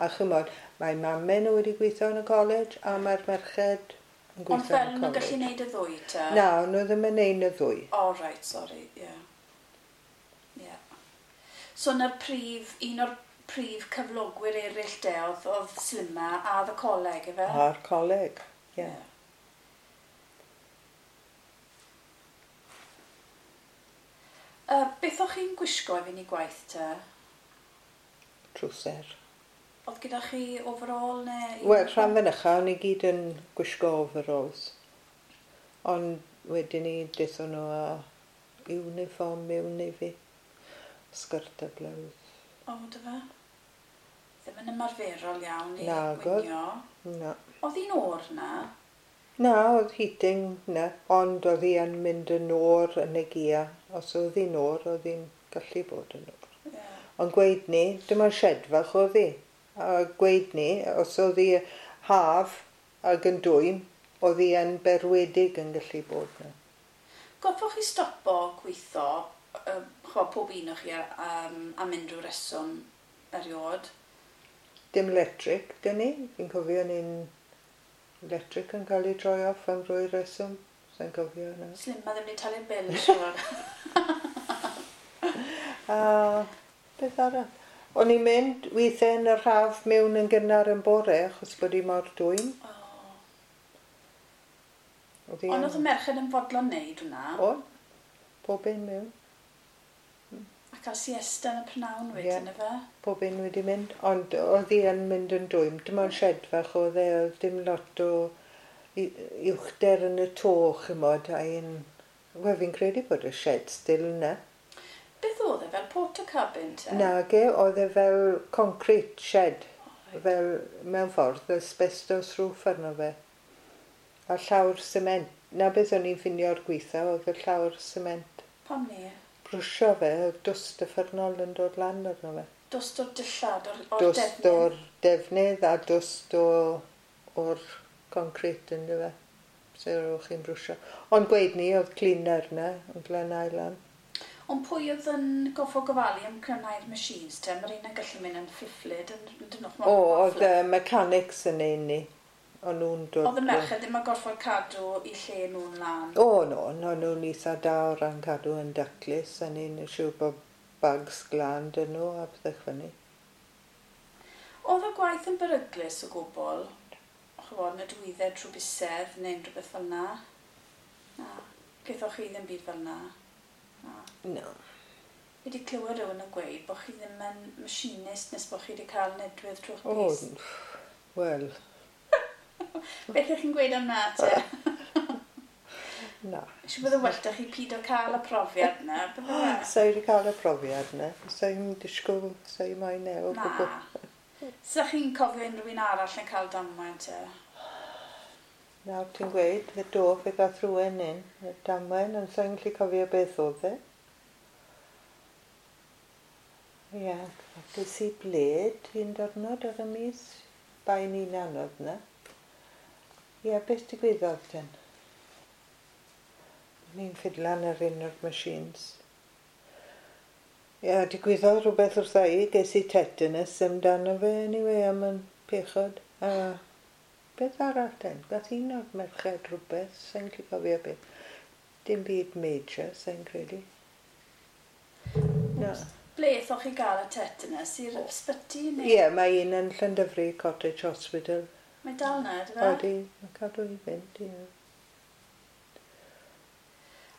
A ch'mod, mae mamau nhw wedi gweithio yn y college a mae'r merched yn gweithio Ond fel yn y nhw'n gallu college. neud y ddwy te? Na, o'n nhw ddim yn neud y ddwy. O, oh, right, sorry, ie. Yeah. Yeah. So na'r prif, un o'r prif cyflogwyr eraill de oedd Slimma a y coleg, efe? A'r coleg, ie. Yeah. Beth o'ch chi'n gwisgo i fynd i gwaith te? Trwser. Oedd gyda chi overall neu... Wel, rhan fynycha, o'n i gyd yn gwisgo overalls. Ond wedyn ni, dethon nhw â uniform mewn i fi. Sgert a blouse. O, dy fe? Ddim yn ymarferol iawn i Nag oedd. gwinio. Na. Oedd hi'n oer na? Na, oedd heating na, ond oedd hi yn mynd yn oer yn y gia. Os oedd hi'n oer, oedd hi'n gallu bod yn oer. Yeah. Ond gweud ni, dim ond shed fach oedd hi. A gweud ni, os oedd hi haf ag yn dwym, oedd hi yn berwedig yn gallu bod na. Goffwch chi stopo gweithio, chwa, pob un o'ch chi am unrhyw reswm eriod? Dim electric, dyn ni. Fi'n cofio ni'n electric yn cael ei droi off am rwy reswm. Sa'n cofio na. Slimma ddim wedi talu'r bil, siwr. A beth arall? O'n i'n mynd weithiau yn yr haf mewn yn gynnar yn bore achos bod hi mor dwym. Oh. Oedd hi Ond yn- oedd y merched yn fodlon neud hwnna? Oedd. Pob un mewn. A cael siesta yn y prynawn wedyn, Ie. yeah. Efe? Pob un wedi mynd. Ond oedd hi yn mynd yn dwym. Dim ond shed fach oedd e. Oedd dim lot o uwchder yn y to, chymod. A un... Wel, fi'n credu bod y shed still yna. Beth oedd e, fel porter cabin te? Nage, oedd e fel concrete shed. O, reit. Fel mewn ffordd, asbestos roof arno fe. A llawr sement. Na beth o'n i'n ffinio'r gweitha, oedd y llawr sement. Pam ni? Brwsio fe, oedd dwst uffernol yn dod lan arno fe. Dwst o'r dillad, o'r Dwst defnydd? o'r defnydd a dwst o'r concrete ynddo fe. So o'ch chi'n brwsio. Ond gweud ni, oedd cleaner yna, yn glanhau lan. Ond pwy oedd yn goffo gofalu am cryfhau'r machines te? Mae'r un yn gallu mynd yn ffiflyd yn dyn nhw. O, oedd y mechanics yn ein ni. O'n nhw'n dod... Oedd y merched ddim yn gorfod cadw i lle nhw'n lan. O, no, no, nhw'n eitha da o ran cadw yn daclus, a ni'n siŵr bod bags glân dyn nhw a pethau fyny. Oedd y gwaith yn beryglus o gwbl? Ch'mod, na dwyddau trwy bysedd neu unrhyw beth fel na? Na. Gaethoch chi ddim byd fel na? Na. No. Fi wedi clywed rhywun yn gweud bod chi ddim yn machinist nes bod chi wedi cael nedwydd trwy'ch O, bys. wel, Beth ych chi'n gweud am na te? na. Siw bod yn well da chi pido cael y profiad na, bydde fe? Sa i wedi cael y profiad na. Sa i'n disgwyl, sa i moyn e o gwbl. Na. Sa chi'n cofio unrhyw un arall yn cael damwain te? Nawr ti'n gweud, fe do, fe gath rhywun un, y damwain, ond sa i'n gallu cofio beth oedd e. Ie, ges i bled un diwrnod ar y mis, bai ni'n anodd na. Ie, beth digwyddodd ten? Ni'n ffidlan ar un o'r machines. Ie, digwyddodd rhywbeth wrtha i, ges i tetanus amdano fe anyway, am yn pechod. A beth arall ten? Gath un o'r merched rhywbeth, sa'n gallu cofio beth. Dim byd major, sa'n credu. Na. Ble ethoch chi gael y tetanus? I'r ysbyty neu? Ie, mae un yn Llandyfri Cottage Hospital. Mae dal na, ydw fe? Odi, mae'n cadw i fynd, ie.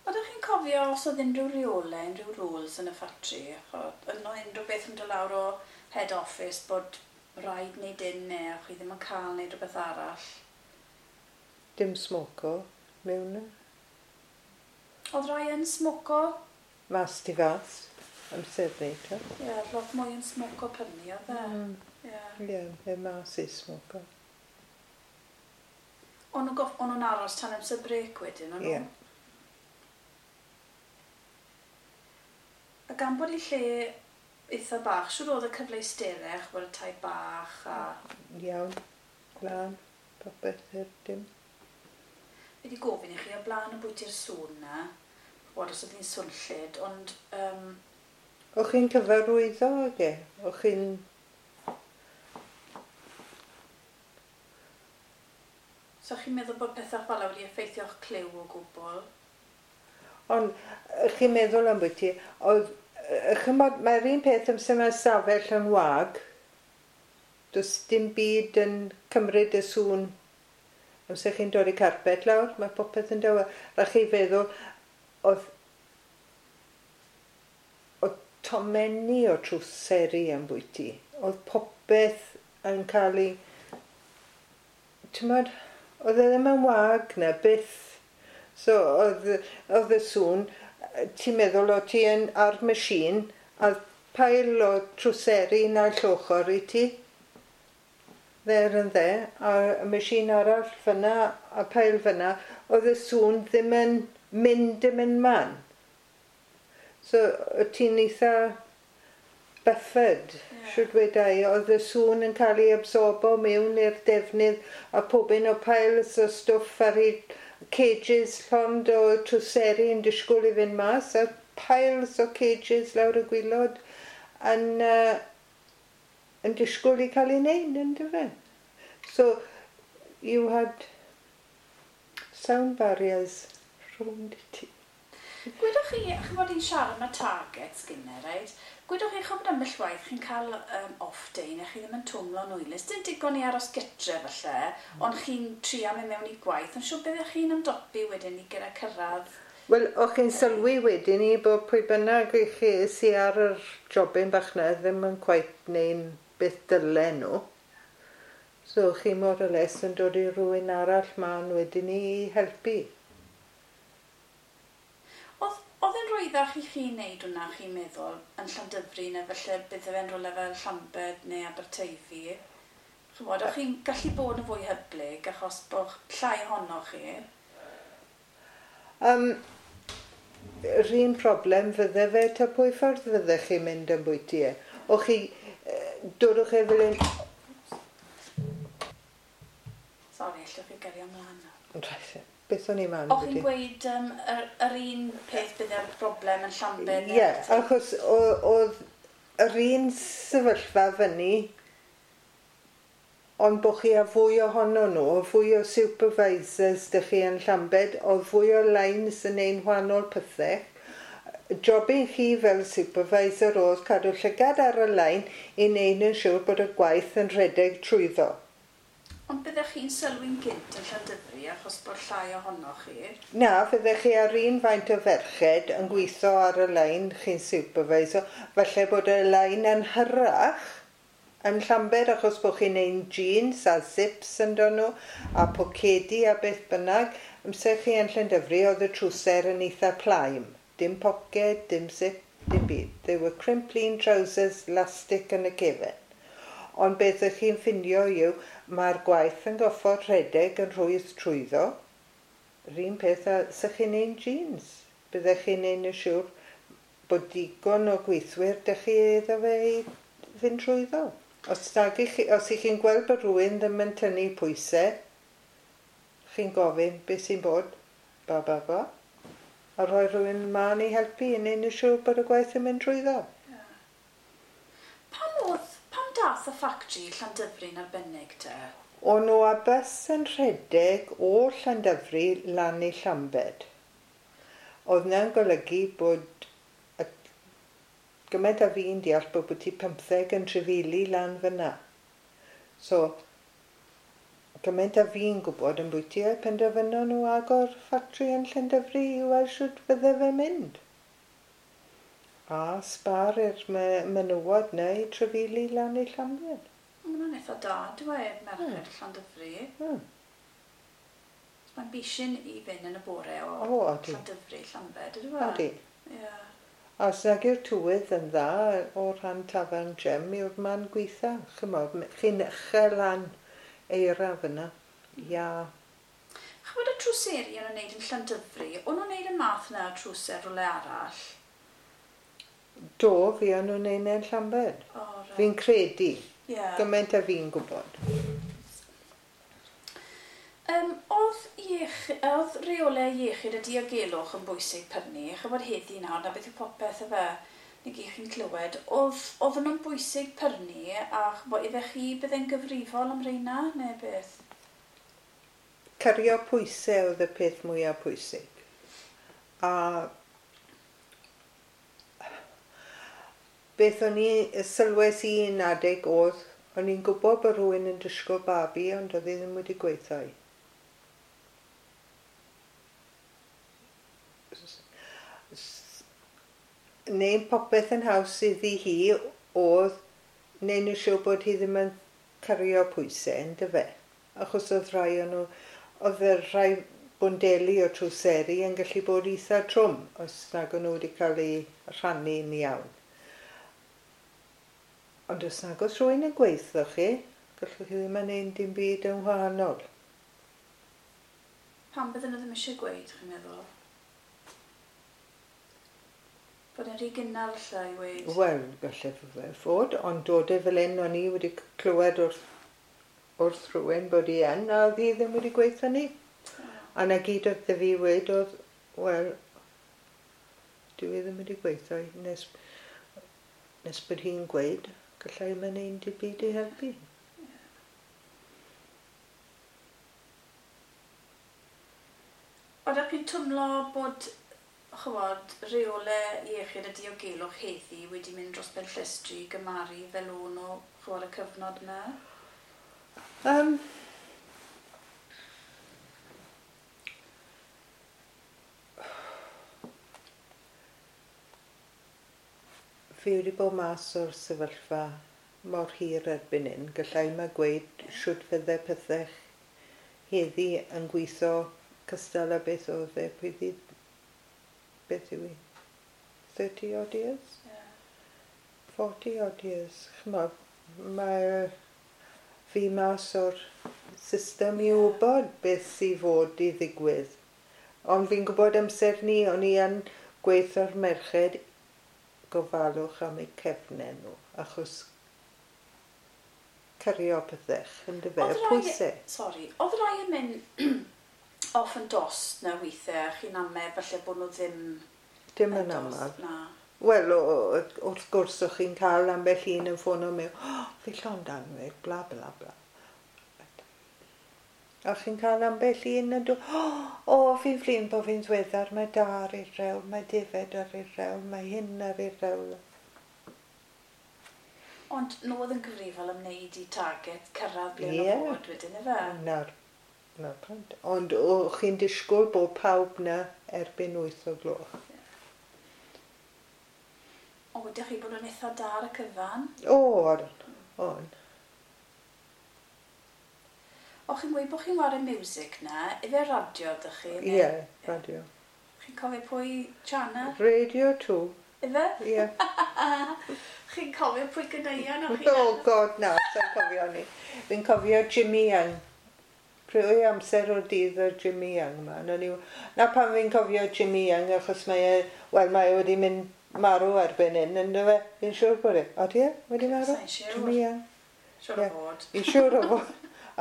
Oeddech chi'n cofio os oedd unrhyw reolau, unrhyw rules yn y ffatri? Oedd yno unrhyw beth yn dod lawr o head office bod rhaid wneud un neu o'ch chi ddim yn cael wneud rhywbeth arall? Dim smoco mewn yna. Oedd rai yn smoco? Mas tu fas, amser ni, to. Ie, yeah, lot mwy yn smoco prynu, oedd e? Ie. Ie, yeah, mas i smoco. O'n nhw'n aros tan amser brec wedyn, o'n nhw? Ie. A gan bod i lle eitha bach, siŵr oedd y cyfleusterau, ch'mod y tai bach a... Iawn, glân, popeth i'r dim. Fi wedi gofyn i chi o blaen y bwyty'r sŵn na, ch'mod os oedd hi'n swnllyd, ond O'ch chi'n cyfarwyddo ag e? O'ch chi'n... So chi'n meddwl bod pethau fel wedi effeithio'ch clyw o gwbl? Ond chi'n meddwl am bwyty, oedd... Chymod, mae'r un peth amser mae stafell yn wag, does dim byd yn cymryd y sŵn. Amser chi'n dorri carpet lawr, mae popeth yn dawel. A chi feddwl, oedd tomenni o trwseri yn bwyty. Oedd popeth yn cael ei... T'mod, oedd e ddim yn wag na, byth. So, oedd y sŵn, ti'n meddwl o ti yn ar machine, a pail o trwseri naill ochr i ti, there and there, a y machine arall fyna, a pail fyna, oedd y sŵn ddim yn mynd dim yn man. So, o ti'n eitha buffered, Ie. shwd weda i, oedd y sŵn yn cael ei absorbo mewn i'r defnydd, a pob un o piles o stwff ar ei cages llond o trwseri yn disgwyl i fynd mas, a piles o cages lawr y gwylod, yn yn disgwyl i cael ei wneud, yndyfe? So, you had sound barriers rhwng ti. Gwedwch chi, ch'mod i'n siarad am y targets gynne, reit? Gwedwch chi, ch'mod ambell waith chi'n cael off day neu chi ddim yn twmlo'n hwylus. Dim digon i aros gytre falle, ond chi'n trio mynd mewn i gwaith. Ond siŵr byddech chi'n ymdopi wedyn i gyda cyrraedd? Wel, o'ch chi'n sylwi wedyn ni bod pwy bynnag i chi sy ar yr jobyn bach 'na ddim yn cweit neu'n beth dylen nhw. So chi more or less yn dod i rhywun arall mlaen wedyn ni i helpu. Oedd e'n rhwyddach i chi wneud hwnna, chi'n meddwl, yn Llandyfri neu falle bydde fe'n rhywle fel Llambed neu Aberteifi? Ch'mod, o'ch chi'n gallu bod yn fwy hyblyg achos bod llai ohonoch chi? Yr un problem fydde fe ta pwy ffordd fydde chi'n mynd yn bwyty e. O'ch chi, dodwch e fel un. Sori, allwch chi gario ymlaen nawr. Reit, beth o'n i'n man O'ch chi'n gweud yr un peth bydde'r broblem yn Llambed? Ie, yeah, achos oedd yr un sefyllfa fyny, ond bod chi â fwy ohono nhw, fwy o supervisors dych chi yn Llambed, oedd fwy o lines yn ein wahanol pethau. Jobyn chi fel supervisor oedd cadw llygad ar y line i wneud yn siŵr bod y gwaith yn rhedeg trwyddo. Ond byddech chi'n sylwi'n gynt yn Llandyfri achos bod llai ohonoch chi? Na, fyddech chi ar un faint o ferched yn gweithio ar y line chi'n supervisor. Falle bod y line yn hyrach yn Llambed achos bod chi'n neud jeans a zips yn dod nhw a pocedi a beth bynnag. Amser chi yn Llandyfri oedd y trwser yn eitha plaen. Dim poced, dim zip, dim byd. They were Crimplene trousers, elastic yn y cefen. Ond beth ych chi'n ffindio yw, mae'r gwaith yn goffod rhedeg yn rhwydd trwyddo. Yr un peth â sych chi'n neud jeans. Byddech chi'n neud yn siŵr bod digon o gweithwyr dych chi iddo fe i fynd trwyddo. Os ych chi'n gweld bod rhywun ddim yn tynnu pwysau, chi'n gofyn beth sy'n bod, ba ba ba, a rhoi rhywun mlaen i helpu i neud yn siŵr bod y gwaith yn mynd trwyddo. Yeah. Pam dath y ffactri Llandyfri'n arbennig te? O'n nhw a bws yn rhedeg o Llandyfri lan i Llambed. Oedd na'n golygu bod gymaint a fi'n deall bod ti 15 yn trefili lan fyna. So, gymaint a fi'n gwybod yn bwyty e, penderfynon nhw agor ffatri yn Llandyfri i weld shwt fydde fe mynd. A sbar i'r menywod neu i trefili lan i Llambed. Mae hwnna'n eitha da, dwi e, merched Llandyfri. Mae'n bishyn i fynd yn y bore o Llandyfri, Llambed, ydw e? Odi. Yeah. A os nag yw'r tywydd yn dda o rhan tafarn Gem yw'r man gweitha. Ch'mod, chi'n uchel lan eira fyna. Ia. Ch'mod y trwseri o'n nhw'n neud yn Llandyfri, o'n nhw'n neud y math yna o trwser rhywle arall? Do, fi o'n nhw'n neud e'n Llambed. O, reit. Fi'n credu. Yeah. Gymaint a fi'n gwybod. Oedd reolau iechyd a diogelwch yn bwysig prynu? Ch'mod heddi nawr, na beth yw popeth yfe, neu gyd chi'n clywed. Oedd nhw'n bwysig prynu a ch'mod, ife chi bydde'n gyfrifol am reina neu beth? Cario pwysau oedd y peth mwyaf pwysig. A beth o'n i, sylwes i un adeg oedd, o'n i'n gwybod bod rhywun yn disgwyl babi, ond oedd hi ddim wedi gweithio. Neu popeth yn haws iddi hi oedd neud yn siŵr bod hi ddim yn cario pwysau, yndyfe? Achos oedd rhai o'n nhw, oedd y rhai bwndeli o trwseri yn gallu bod eitha trwm os nag o'n nhw wedi cael eu rhannu'n iawn. Ond os nag oes rhywun yn gweithio chi, gallwch chi ddim yn neud dim byd yn wahanol. Pam bydden nhw ddim eisiau gweud, chi'n meddwl? Bod e'n rhy gynnar lle i weud? Wel, gallai fe fod, ond dod e fel hyn, o'n i wedi clywed wrth rhywun bod hi yn, a oedd hi ddim wedi gweithio ni. A na gyd oedd fi weud oedd, wel, dwi ddim wedi gweithio nes bod hi'n gweud. Gallai ddim yn ein byd i helpu. Oeddech chi'n twmlo bod, chymod, reole iechyd a diogelwch heddi wedi mynd dros ben llestri i gymaru fel o'n nhw, chymod, y cyfnod yna? Fi wedi bod mas o'r sefyllfa mor hir erbyn hyn. Gallai ma gweud shwt fydde pethau heddi yn gweithio cystal â beth oedd e pryd beth yw i? 30 odd years? Yeah. 40 odd years. Ch'mod, mae fi mas o'r system i wybod beth sydd fod i ddigwydd. Ond fi'n gwybod amser ni, o'n i yn gweithio'r merched gofalwch am eu cefnau nhw, achos cario pethau, yn dyfe, y pwysau. Sori, oedd rai yn mynd off yn dost na weithiau, chi'n amau falle bod nhw ddim Dim yn aml. Na. Wel, wrth gwrs, o'ch chi'n cael ambell un yn ffono mewn, oh, fi llond anwyd, bla bla bla. A chi'n cael ambell un yn dod, o, fi'n flin bod fi'n ddiweddar, mae da ar ei rewl, mae defed ar ei rewl, mae hyn ar ei rewl. Ond nhw oedd yn gyfrifol am wneud i target cyrraedd ble yeah. nhw fod wedyn, ife? Na'r pwynt. Ond o'ch chi'n disgwyl bod pawb na erbyn 8 o gloch. Yeah. O, ydych chi bod yn eitha da ar y cyfan? O, o'n. O, chi'n gweud bod chi'n wario music na, ife radio ydych chi? Ie, yeah, radio. Chi'n cofio pwy channel? Radio 2. Ife? Ie. Yeah. Chi'n cofio pwy gyneuon o'ch chi? Oh God, na, sa'n cofio ni. Fi'n cofio Jimmy Young. Prwy amser o'r dydd o'r Jimmy Young yma. Na pan fi'n cofio Jimmy Young, achos mae e, wel, mae e wedi mynd marw erbyn hyn, ynddo fe? Fi'n siŵr bod e. Odi e? Wedi marw? Sa'n siŵr. Jimmy Young. Siŵr o fod. Fi'n siŵr o fod.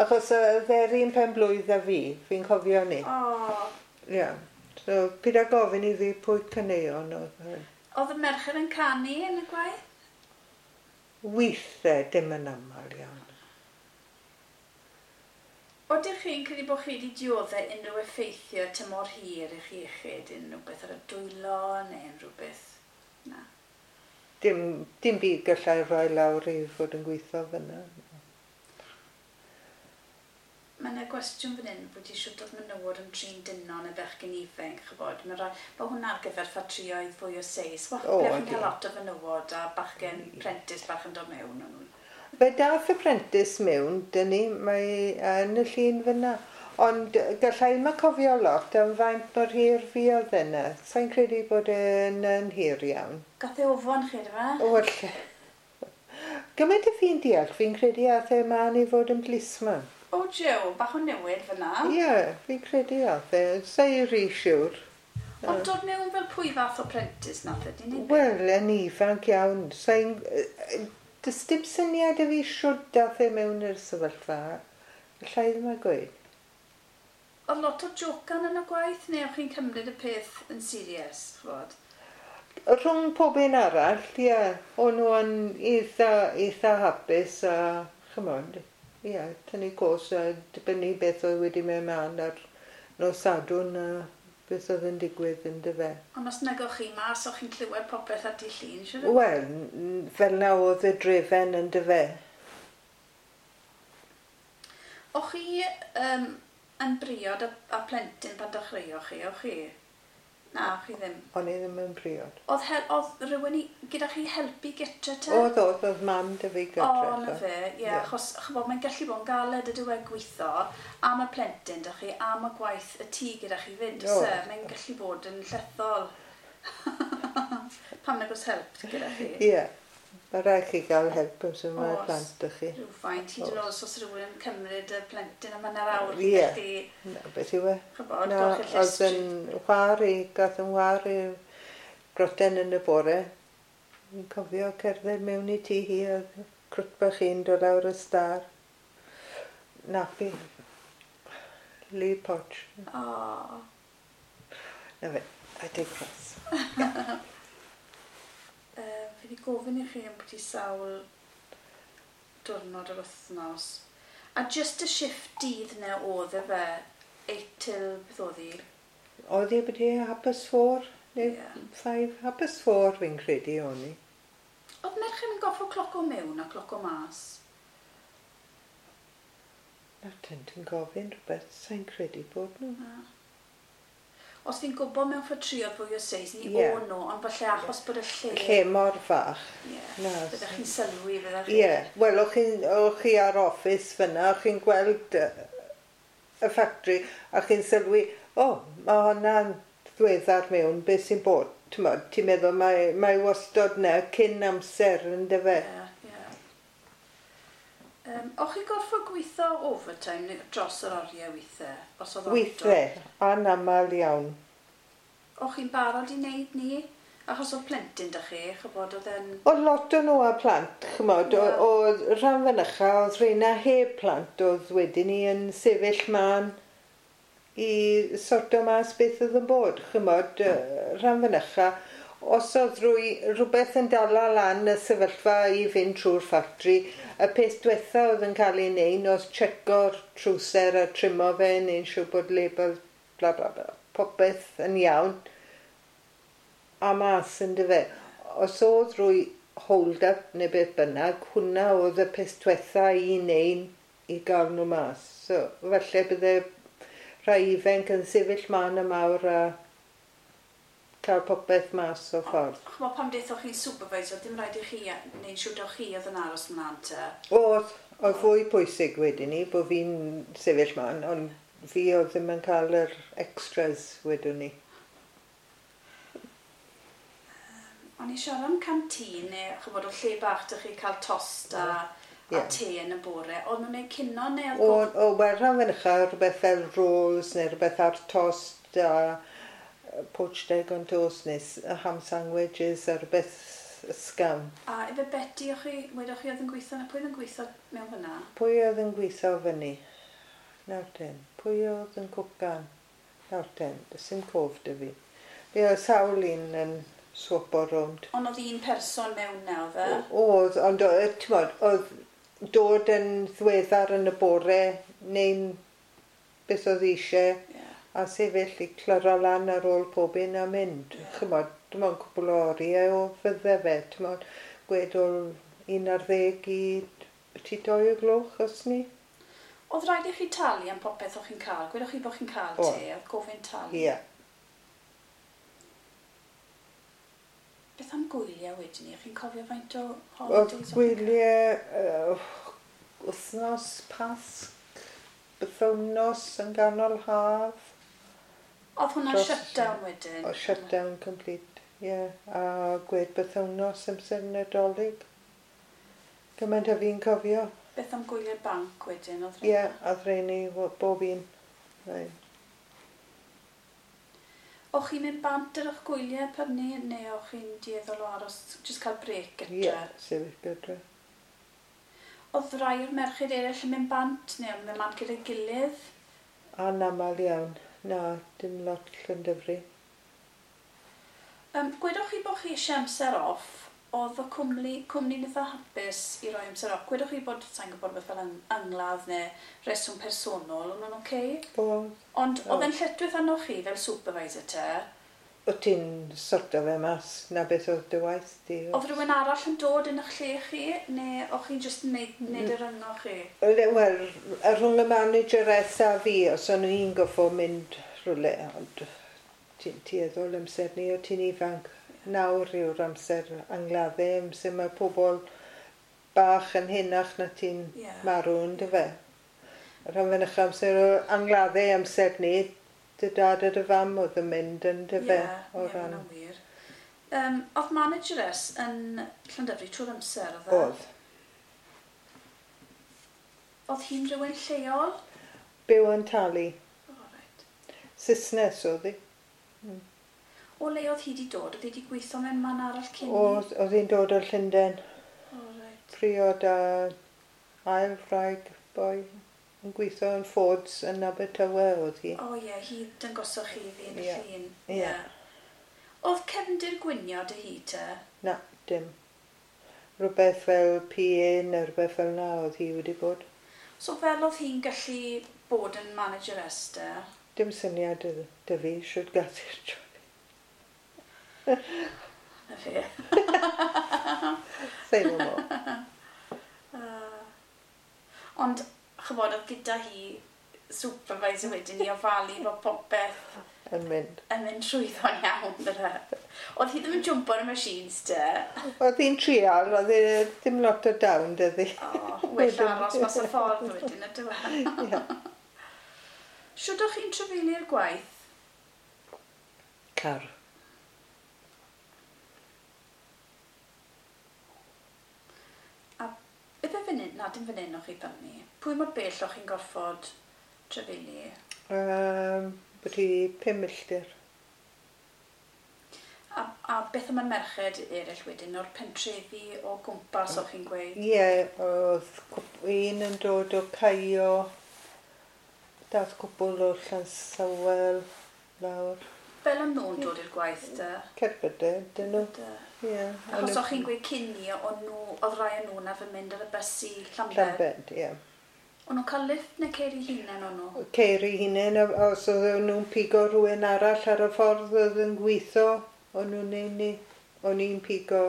Achos oedd e'r un pen blwydd â fi, fi'n cofio ni. Oh. Ie. Yeah. So, pid â gofyn i fi pwy caneuon oedd hyn. Oedd y merched yn canu yn y gwaith? Weithiau, dim yn aml iawn. Oedych chi'n credu bod chi wedi dioddau unrhyw effeithiau tymor hir i'ch iechyd? Unrhyw beth ar y dwylo neu unrhyw beth? Na. Dim byd gallai rhoi lawr i fod yn gweithio fyna. Mae yna gwestiwn fan hyn bod eisiau dod menywod yn trin dynon neu bechgyn ifanc, chybod. Mae hwnna ar gyfer ffatrïoedd fwy o seis. Wel, ble chi'n cael lot o fenywod a bachgen prentis bach yn dod mewn. Fe dath y prentis mewn, dyn ni, mae yn y llun fyna. Ond gallai ma cofio lot am faint mor hir fi oedd yna. Sa'n credu bod e'n hir iawn. Gath e ofon chi, dyma? Wel, gymaint y fi'n deall, fi'n credu ath e mlaen i fod yn policeman. O, Jiw, bach o newid fyna. Ie, yeah, fi'n credu ath e. Sa'n rhy siwr. Ond dod mewn fel pwy fath o prentis nath e, dyn ni? Wel, yn ifanc iawn. Sa'n... Does dim syniad i fi siwr dath e mewn i'r sefyllfa. Allai ddim a gweud. Oedd lot o jocan yn y gwaith, neu o'ch chi'n cymryd y peth yn serious, ch'bod? Rhwng pob un arall, ie. Yeah. O'n nhw yn eitha hapus a, ch'mod, ie, yeah, tynnu cos a dibynnu beth oedd wedi mynd mlaen ar nos Sadwrn a beth oedd yn digwydd yn dyfe. Ond os nag o'ch chi mas, o'ch chi'n clywed popeth ar dydd Llun, siŵr? Wel, fel na oedd y drefen yn dyfe. O'ch chi yn briod a plentyn pan dechreuoch chi, o'ch chi? Na, o'ch chi ddim. O'n i ddim yn briod. Oedd rhywun gyda chi helpu gytre te? Oedd mam dy fi gytre. O, na fe, ie, achos ch'bod, mae'n gallu bod yn galed y diwedd gweithio am y plentyn dych chi, am y gwaith y tŷ gyda chi fynd, oes e? Mae'n gallu bod yn llethol. Pam nag oes help gyda chi? Ie, mae rhaid chi gael help os mae plant dych chi. Rhywfaint, hyd yn oed os oes rhywun yn cymryd y plentyn am hanner awr, Ie. gallu... Na, beth yw e? Ch'bod, Na, golchi'r oedd llestri. yn whar i, gath yn whar i groten yn y bore. Fi'n cofio cerdded mewn i tŷ hi, oedd crwt bach hi'n dod lawr y star. Nappy. Lee Potch. O. Na fe, I digress. Fi wedi gofyn i chi am bwyty sawl Diwrnod yr wythnos. A just y shift dydd 'na oedd e fe? 8 till beth oedd hi? Oedd hi beth 4:30 neu 5, 4:30 fi'n credu o'n i. Oedd merched yn goffo cloco mewn a cloco mas? Na, ti'n gofyn rhywbeth, sa'n credu bod nhw. Na. Os fi'n gwybod mewn ffatrïoedd fwy o seis, ni o'n nhw, ond falle achos bod y lle... Lle mor fach. Ie. Byddech chi'n sylwi, fyddech chi... Ie. Wel, o'ch chi ar office fyna, o'ch chi'n gweld y ffactri, a chi'n sylwi, o, mae hwnna'n ddiweddar mewn, beth sy'n bod? Ti'n meddwl mae wastod na cyn amser, yndyfe? Ie, ie. O'ch chi gorfod gweithio overtime dros yr oriau weithiau? Os oedd Weithiau, anaml iawn. O'ch chi'n barod i wneud ni? Achos oedd plentyn da chi, chybod, oedd e'n... Oedd lot o nhw â plant, chymod, oedd rhan fynycha, oedd rheina heb plant, oedd wedyn ni yn sefyll man i sorto mas beth oedd yn bod, chymod, rhan fynycha. Os oedd rhywbeth yn dala lan y sefyllfa i fynd trwy'r ffatri, y peth diwetha oedd yn cael ei wneud oedd checo'r trwser a trimo fe, neu'n siŵr bod label, bla bla bla, popeth yn iawn, a mas yn dyfe. Os oedd rwy hold-up neu beth bynnag, hwnna oedd y peth diwetha i wneud i gael nhw mas. So, falle bydde rhai ifanc yn sefyll man y mawr a cael popeth mas o ffordd. Ch'mod, pam dethoch chi'n supervisor, dim rhaid i chi neu'n siŵr dewch chi oedd yn aros mlaen te? Oedd fwy pwysig wedyn ni, bod fi'n sefyll man, ond fi oedd ddim yn cael yr extras wedyn ni. O'n i siarad am canteen, neu ch'mod, o lle bach dych chi cael tost a te yn y bore. Oedd nhw'n gwneud cino neu oedd... O, wel, rhan fynycha, rhywbeth fel rolls neu rhywbeth ar tost a poached egg on toast neu ham sandwiches a rhywbeth ysgafn. A efe Betty, o'ch chi, wedoch chi oedd yn gweithio, na pwy oedd yn gweithio mewn fyna? Pwy oedd yn gweithio fyny? Nawr ten. Pwy oedd yn cwcan? Nawr ten. Does dim cof 'da fi. Fe oedd sawl un yn swapo rownd. Ond oedd un person mewn na, oedd e? Oedd, ond t'mod, oedd dod yn ddiweddar yn y bore neu'n beth oedd eisiau, a sefyll i clyro lan ar ôl pob un a mynd. Chymod, dim ond cwpl o oriau o fydde fe, t'mod, gwed o 11 i 2 o'r gloch os ni. Oedd rhaid i chi talu am popeth o'ch chi'n cael? Gwedwch chi bod chi'n cael te, oedd gofyn talu? Ie. Beth am gwyliau wedyn ni? Chi'n cofio faint o holidays o'ch chi'n gwyliau wythnos Pasg, bythownos yn ganol haf. Oedd hwnna'n shutdown wedyn? O, shutdown complete, ie. Yeah. A gwed bythownos amser Nadolig. Gymaint a fi'n cofio. Beth am gwyliau'r banc wedyn? Ie, yeah, oedd rheini bob un. Right. O'ch chi'n mynd bant ar eich gwyliau per ni, neu o'ch chi'n dueddol o aros, jyst cael break gytre? Ie, yeah, sefyll gytre. Oedd rai o'r merched eraill yn mynd bant, neu o'n mynd bant gyda'i gilydd? Anaml iawn. Na, dim lot Llandyfri. Gwedwch chi bod chi eisiau amser off, oedd y cwmni'n eitha hapus i roi amser off. Gwedwch chi bod, sa'n gwybod beth fel angladd neu reswm personol, o'n nhw'n oce? Oedd. Ond oedd e'n lletchwith arnoch chi fel supervisor te? O ti'n sorto fe mas, na beth oedd dy waith di. Oedd rhywun arall yn dod yn eich lle chi, neu o'ch chi'n jyst yn neud yr rhyngo chi? Wel, rhwng y manageress a fi, os o'n i'n goffo mynd rhywle, ond ti'n tueddol amser ni, o ti'n ifanc. Nawr yw'r amser angladdau, amser mae pobl bach yn henach na ti'n marw, yndyfe. Rhan fynycha amser o angladdau amser ni, dy dad a dy fam oedd yn mynd yn dyfe. Ie, ie, hwnna'n wir. Oedd manageress yn Llandyfri trwy'r amser, oedd e? Oedd. Oedd hi'n rhywun lleol? Byw yn Tali. O, reit. Saesnes oedd hi. O le oedd hi wedi dod? Oedd hi wedi gweithio mewn man arall cyn? Oedd hi'n dod o'r Llundain. O, reit. Priod a ail wraig boi yn gweithio yn Ford's yn Abertawe oedd hi. O ie, hi dangosoch chi fi yn y llun. Ie. Oedd cefndir gwynio dy hi te? Na, dim. Rhywbeth fel PA neu rhywbeth fel 'na oedd hi wedi bod. So fel oedd hi'n gallu bod yn manageress te? Dim syniad 'da fi shwt gath hi'r job. Na fe. Say no more. Ond, ch'mod, oedd gyda hi supervisor wedyn i ofalu bod popeth yn mynd. Yn mynd trwyddo'n iawn, bydde. Oedd hi ddim yn jwmpo ar y machines te? Oedd hi'n trial, oedd hi ddim lot o dawn, 'da hi. O, well aros mas y ffordd wedyn, ydyw e? Ie. Shwt o'ch chi'n trafeilio'r gwaith? Car. A beth e fan hyn? Na, dim fan hyn o'ch chi fel ni. Pwy mor bell o'ch chi'n gorfod trafeili? Byti 5 milltir. A beth am y merched eraill wedyn, o'r pentrefi o gwmpas o'ch chi'n gweud? Ie, oedd un yn dod o Caio, dath cwpl o Llansawel lawr. Fel o'n nhw'n dod i'r gwaith te? Cerbydau, dyn nhw. Ie. Achos o'ch chi'n gweud cyn ni, o'n nhw, oedd rai o'n nhw'n arfer mynd ar y bus i Llambed? Llambed, ie. O'n nhw'n cael lift neu ceir eu hunain o'n nhw? Ceir eu hunain, a os oedden nhw'n pigo rhywun arall ar y ffordd oedd yn gweithio, o'n nhw'n neud ni. O'n i'n pigo,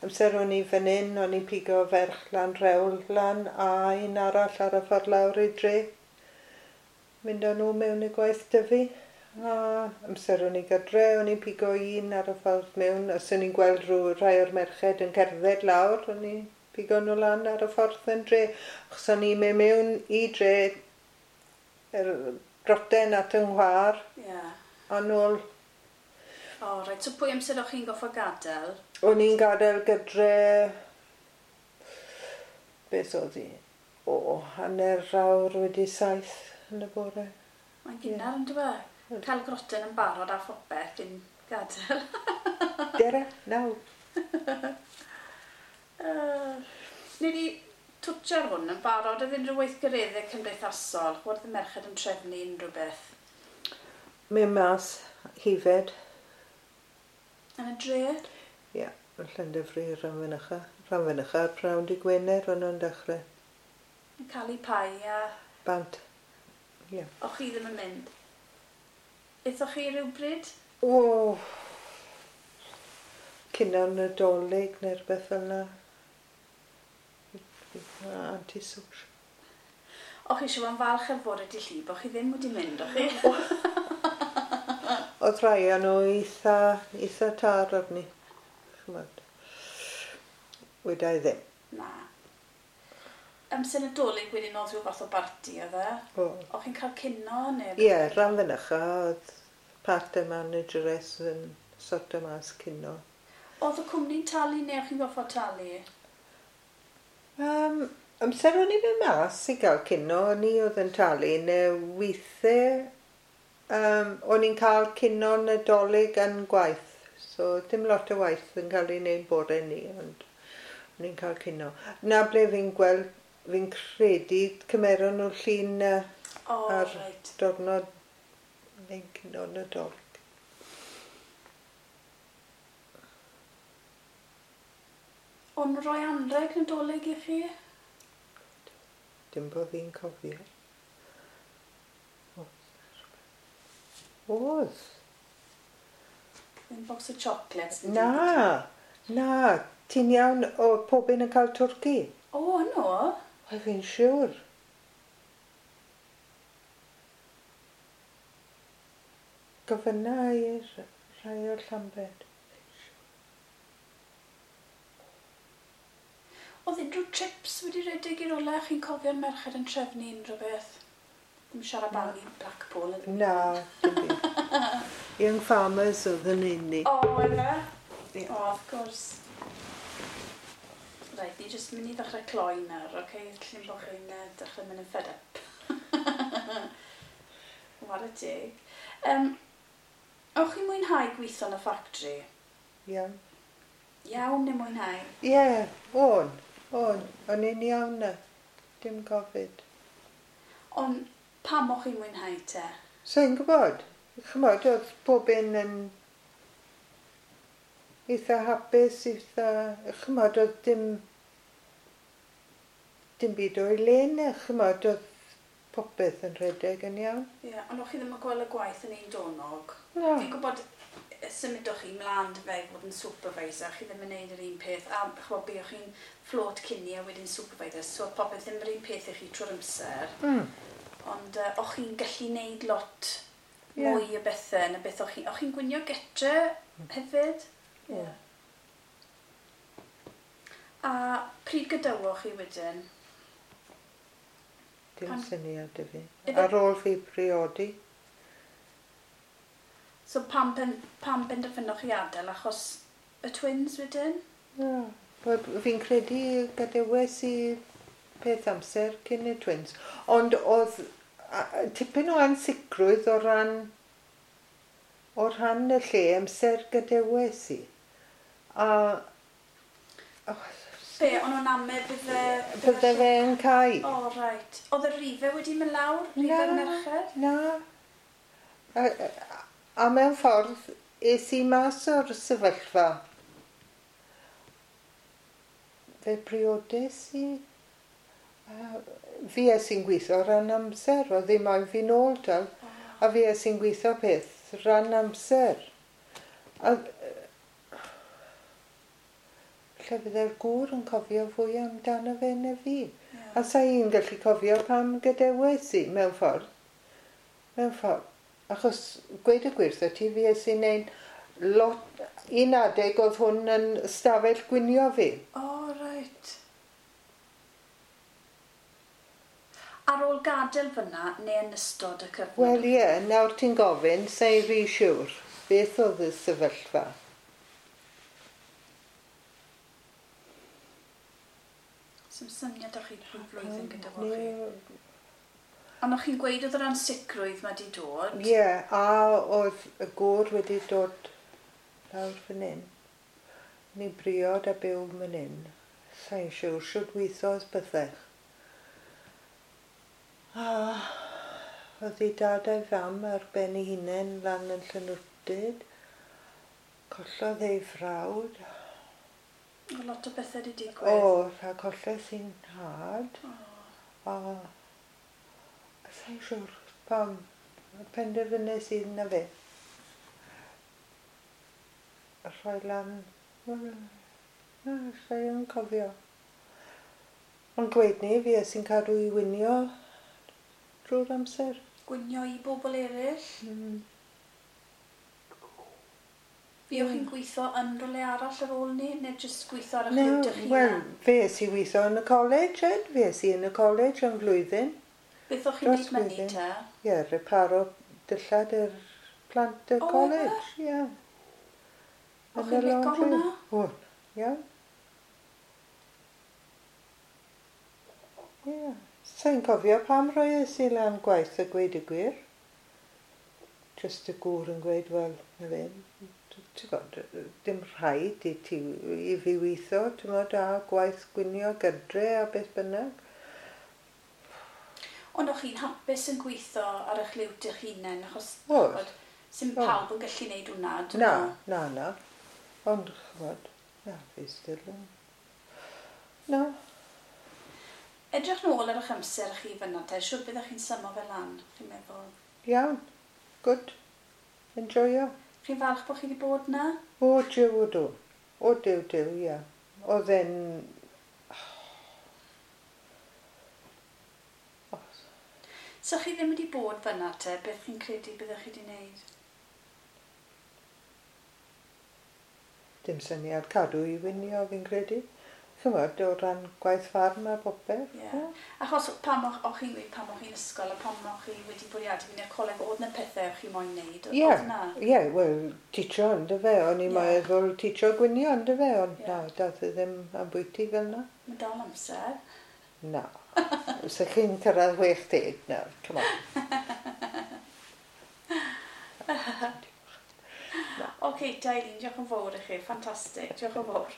amser o'n i fan hyn, o'n i'n pigo ferch lan rewl lan a un arall ar y ffordd lawr i dre. Mynd â nhw mewn i gwaith 'da fi. A amser o'n i gydre, o'n i'n pigo un ar y ffordd mewn. Os o'n i'n gweld rhyw rhai o'r merched yn cerdded lawr, o'n i'n pigo nhw lan ar y ffordd yn dre. Achos o'n i'n mynd mewn i dre, yr groten at yng Nghwar. Ie. A nôl. O, reit. So pwy amser o'ch chi'n goffo gadael? O'n i'n gadael gydre... Beth oedd hi? O, 7:30 yn y bore. Mae'n gynnar yn dyw e? Cael groten yn barod a phopeth cyn gadael. Dere, naw. Ni wedi twtio ar hwn yn barod, oedd unrhyw weithgareddau cymdeithasol, oedd y merched yn trefnu unrhyw beth? Mynd mas, hifed. Yn y dre? Ie, yn Llandyfri, Rhanfynycha. Rhanfynycha, prynhawn dydd Gwener, o'n nhw'n dechrau. Yn cael eu pai a... Bant, ie. O'ch chi ddim yn mynd? Aethoch chi rhywbryd? O, cyn Nadolig neu rhywbeth fel yna. Anti-social. O'ch chi eisiau bod yn falch ar fod wedi llib, o'ch chi ddim wedi mynd, o'ch chi? Oedd rhai o'n nhw eitha tar arni. Ch'mod. Weda i ddim. Na. Amser Nadolig wedyn oedd rhyw fath o barti, oedd e? O. O'ch chi'n cael cino neu? Ie, rhan fynycha, oedd part-time manageress yn sorto mas cino. Oedd y cwmni'n talu neu o'ch chi'n gorfod talu? Amser o'n i'n mynd mas i gael cino, o'n i oedd yn talu, neu weithiau o'n i'n cael cino Nadolig yn gwaith. So dim lot o waith yn cael ei wneud bore ni, ond o'n i'n cael cino. Na ble fi'n gweld, fi'n credu cymeron nhw'r llun ar diwrnod neu cino Nadolig. O'n rhoi anrheg Nadolig i chi? Dim bod fi'n cofio. Oedd. Ddim box o chocolates? Na, na. Ti'n iawn, oedd pob un yn cael twrci. O, no? Oedd fi'n siŵr. Gofynna i'r rhai o'r Llambed. Oedd unrhyw trips wedi rhedeg i'r ola? Chi'n cofio'r merched yn trefnu unrhyw beth? Ddim siarad am i Blackpool. Na, dim byd. Young Farmers oedd yn un ni. O, efe? O, of course. Reit, ni jyst mynd i ddechrau cloi nawr, oce? Llun bod chi'n dechrau mynd yn fed up. Whare teg. O'ch chi'n mwynhau gweithio yn y ffactri? Iawn. Iawn neu mwynhau? Ie, o'n. O'n. O'n i'n iawn na. Dim gofid. Ond pam o'ch chi'n mwynhau te? Sa i'n gwybod. Ch'mod, oedd pob un yn Eitha hapus, eitha... Chymod, oedd dim byd o'i le, chymod, oedd popeth yn rhedeg yn iawn. Ie, yeah, ond o'ch chi ddim yn gweld y gwaith yn un donog? Na. Fi'n gwybod symudoch chi mlaen dy fe i fod yn supervisor, chi ddim yn neud yr un peth, a chymod, buoch chi'n float cyn a wedyn supervisor, so oedd popeth ddim yr un peth i chi trwy'r amser. Ond o'ch chi'n gallu neud lot mwy o bethau na beth o'ch chi... O'ch chi'n gwinio getre hefyd? Ie. Yeah. A pryd gadawoch chi wedyn? Dim syniad i fi. Ife- Ar ôl fi priodi. So pam benderfynoch chi adael achos y twins wedyn? Na. Wel, fi'n credu gadewes i peth amser cyn y twins. Ond oedd tipyn o ansicrwydd o ran y lle amser gadewes i. A... Oh, Be, o'n nhw'n ame bydde... bydde fe'n cau. O, oh, right. Oedd y rifau wedi mynd lawr? Rifau'r merched? Na. A mewn ffordd, es i mas o'r sefyllfa. Fe briodes i. Fi es i'n gweithio ran amser, oedd ddim moyn fi nôl tal. A fi es i'n gweithio peth ran amser. A lle fydde'r gŵr yn cofio fwy amdano fe na fi. Yeah. A sa i'n gallu cofio pam gadewes i mewn ffordd. Mewn ffordd. Achos gweud y gwir wrtho ti, fi es i'n neud lot... Un adeg oedd hwn yn stafell gwinio fi. O, oh, right. Ar ôl gadael fyna, neu yn ystod y cyfnod? Wel ie, nawr ti'n gofyn, sa i'n rhy siŵr beth oedd y sefyllfa. Sdim syniad o'ch chi pwy flwyddyn gyda fo chi. Ond o'ch chi'n gweud oedd yr ansicrwydd mae di dod? Ie, a oedd y gŵr wedi dod lawr fan hyn. Ni briod a byw fan hyn. Sa'n siŵr, siwt weithodd byddech. A oedd ei dad a'i fam ar ben ei hunain lan yn Llanwrtyd. Collodd ei frawd. O, lot o bethau wedi digwydd. O, a colles i'n nhad. O. A sa'n siŵr pam penderfynais i na fe. Rhoi lan... Wel, na, sa i yn cofio. Ond gweud ni, fi es i'n cadw i winio drwy'r amser. Gwinio i bobl eraill? Mm. Fuoch chi'n gweithio yn rhywle arall ar ôl ni, neu jyst gweithio ar eich No, liwt eich wel, hunan? fe es i weithio yn y college, Ed. Fe es i yn y college am flwyddyn. Beth o'ch chi'n Dros neud myny flwyddyn. te? Ie, reparo dillad i'r plant y O, college, ie. O'ch Yn y chi'n lico laundry. hwnna? O, iawn. Ie. Sa'n cofio pam roies i lan gwaith a gweud y gwir. Just y gŵr yn gweud, wel, na fe, ti'n gwybod, dim rhaid i ti i fi weithio, ti'n gwybod, a gwaith gwinio gydre a beth bynnag. Ond o'ch chi'n hapus yn gweithio ar eich liwt eich hunain, achos Oedd. ch'mod, sim Oedd. pawb yn gallu neud hwnna, dyn Na, nhw? na, na. Ond, ch'mod, na, fi still yn... Na. Edrych nôl ar eich amser chi fyna te, siwr byddech chi'n symo fel lan, chi'n meddwl. Iawn. Good. Enjoyo. Chi'n falch bod chi wedi bod na? O, jiw, o do. O, diw, diw, ie. Oedd e'n... O, So chi ddim wedi bod fyna te, beth chi'n credu byddech chi wedi wneud? Dim syniad cadw i winio, fi'n credu. Ch'mod, o ran gwaith ffarm a popeth. Ie. Achos pam o'ch chi'n gweud pam o'ch chi'n ysgol a pam o'ch chi wedi bwriadu fynd i'r coleg, oedd 'na pethau o'ch chi moyn wneud, Ie, oedd 'na? ie, wel, teacho ynddo fe, o'n i'n Ie. meddwl teacho gwinio ynddo fe, ond Ie. na, dath e ddim ambwyty fel na. Mae dal amser. Na. Se chi'n cyrraedd 60 nawr, come on. Oce, okay, Eileen, diolch yn fawr i chi. Ffantastig, diolch yn fawr.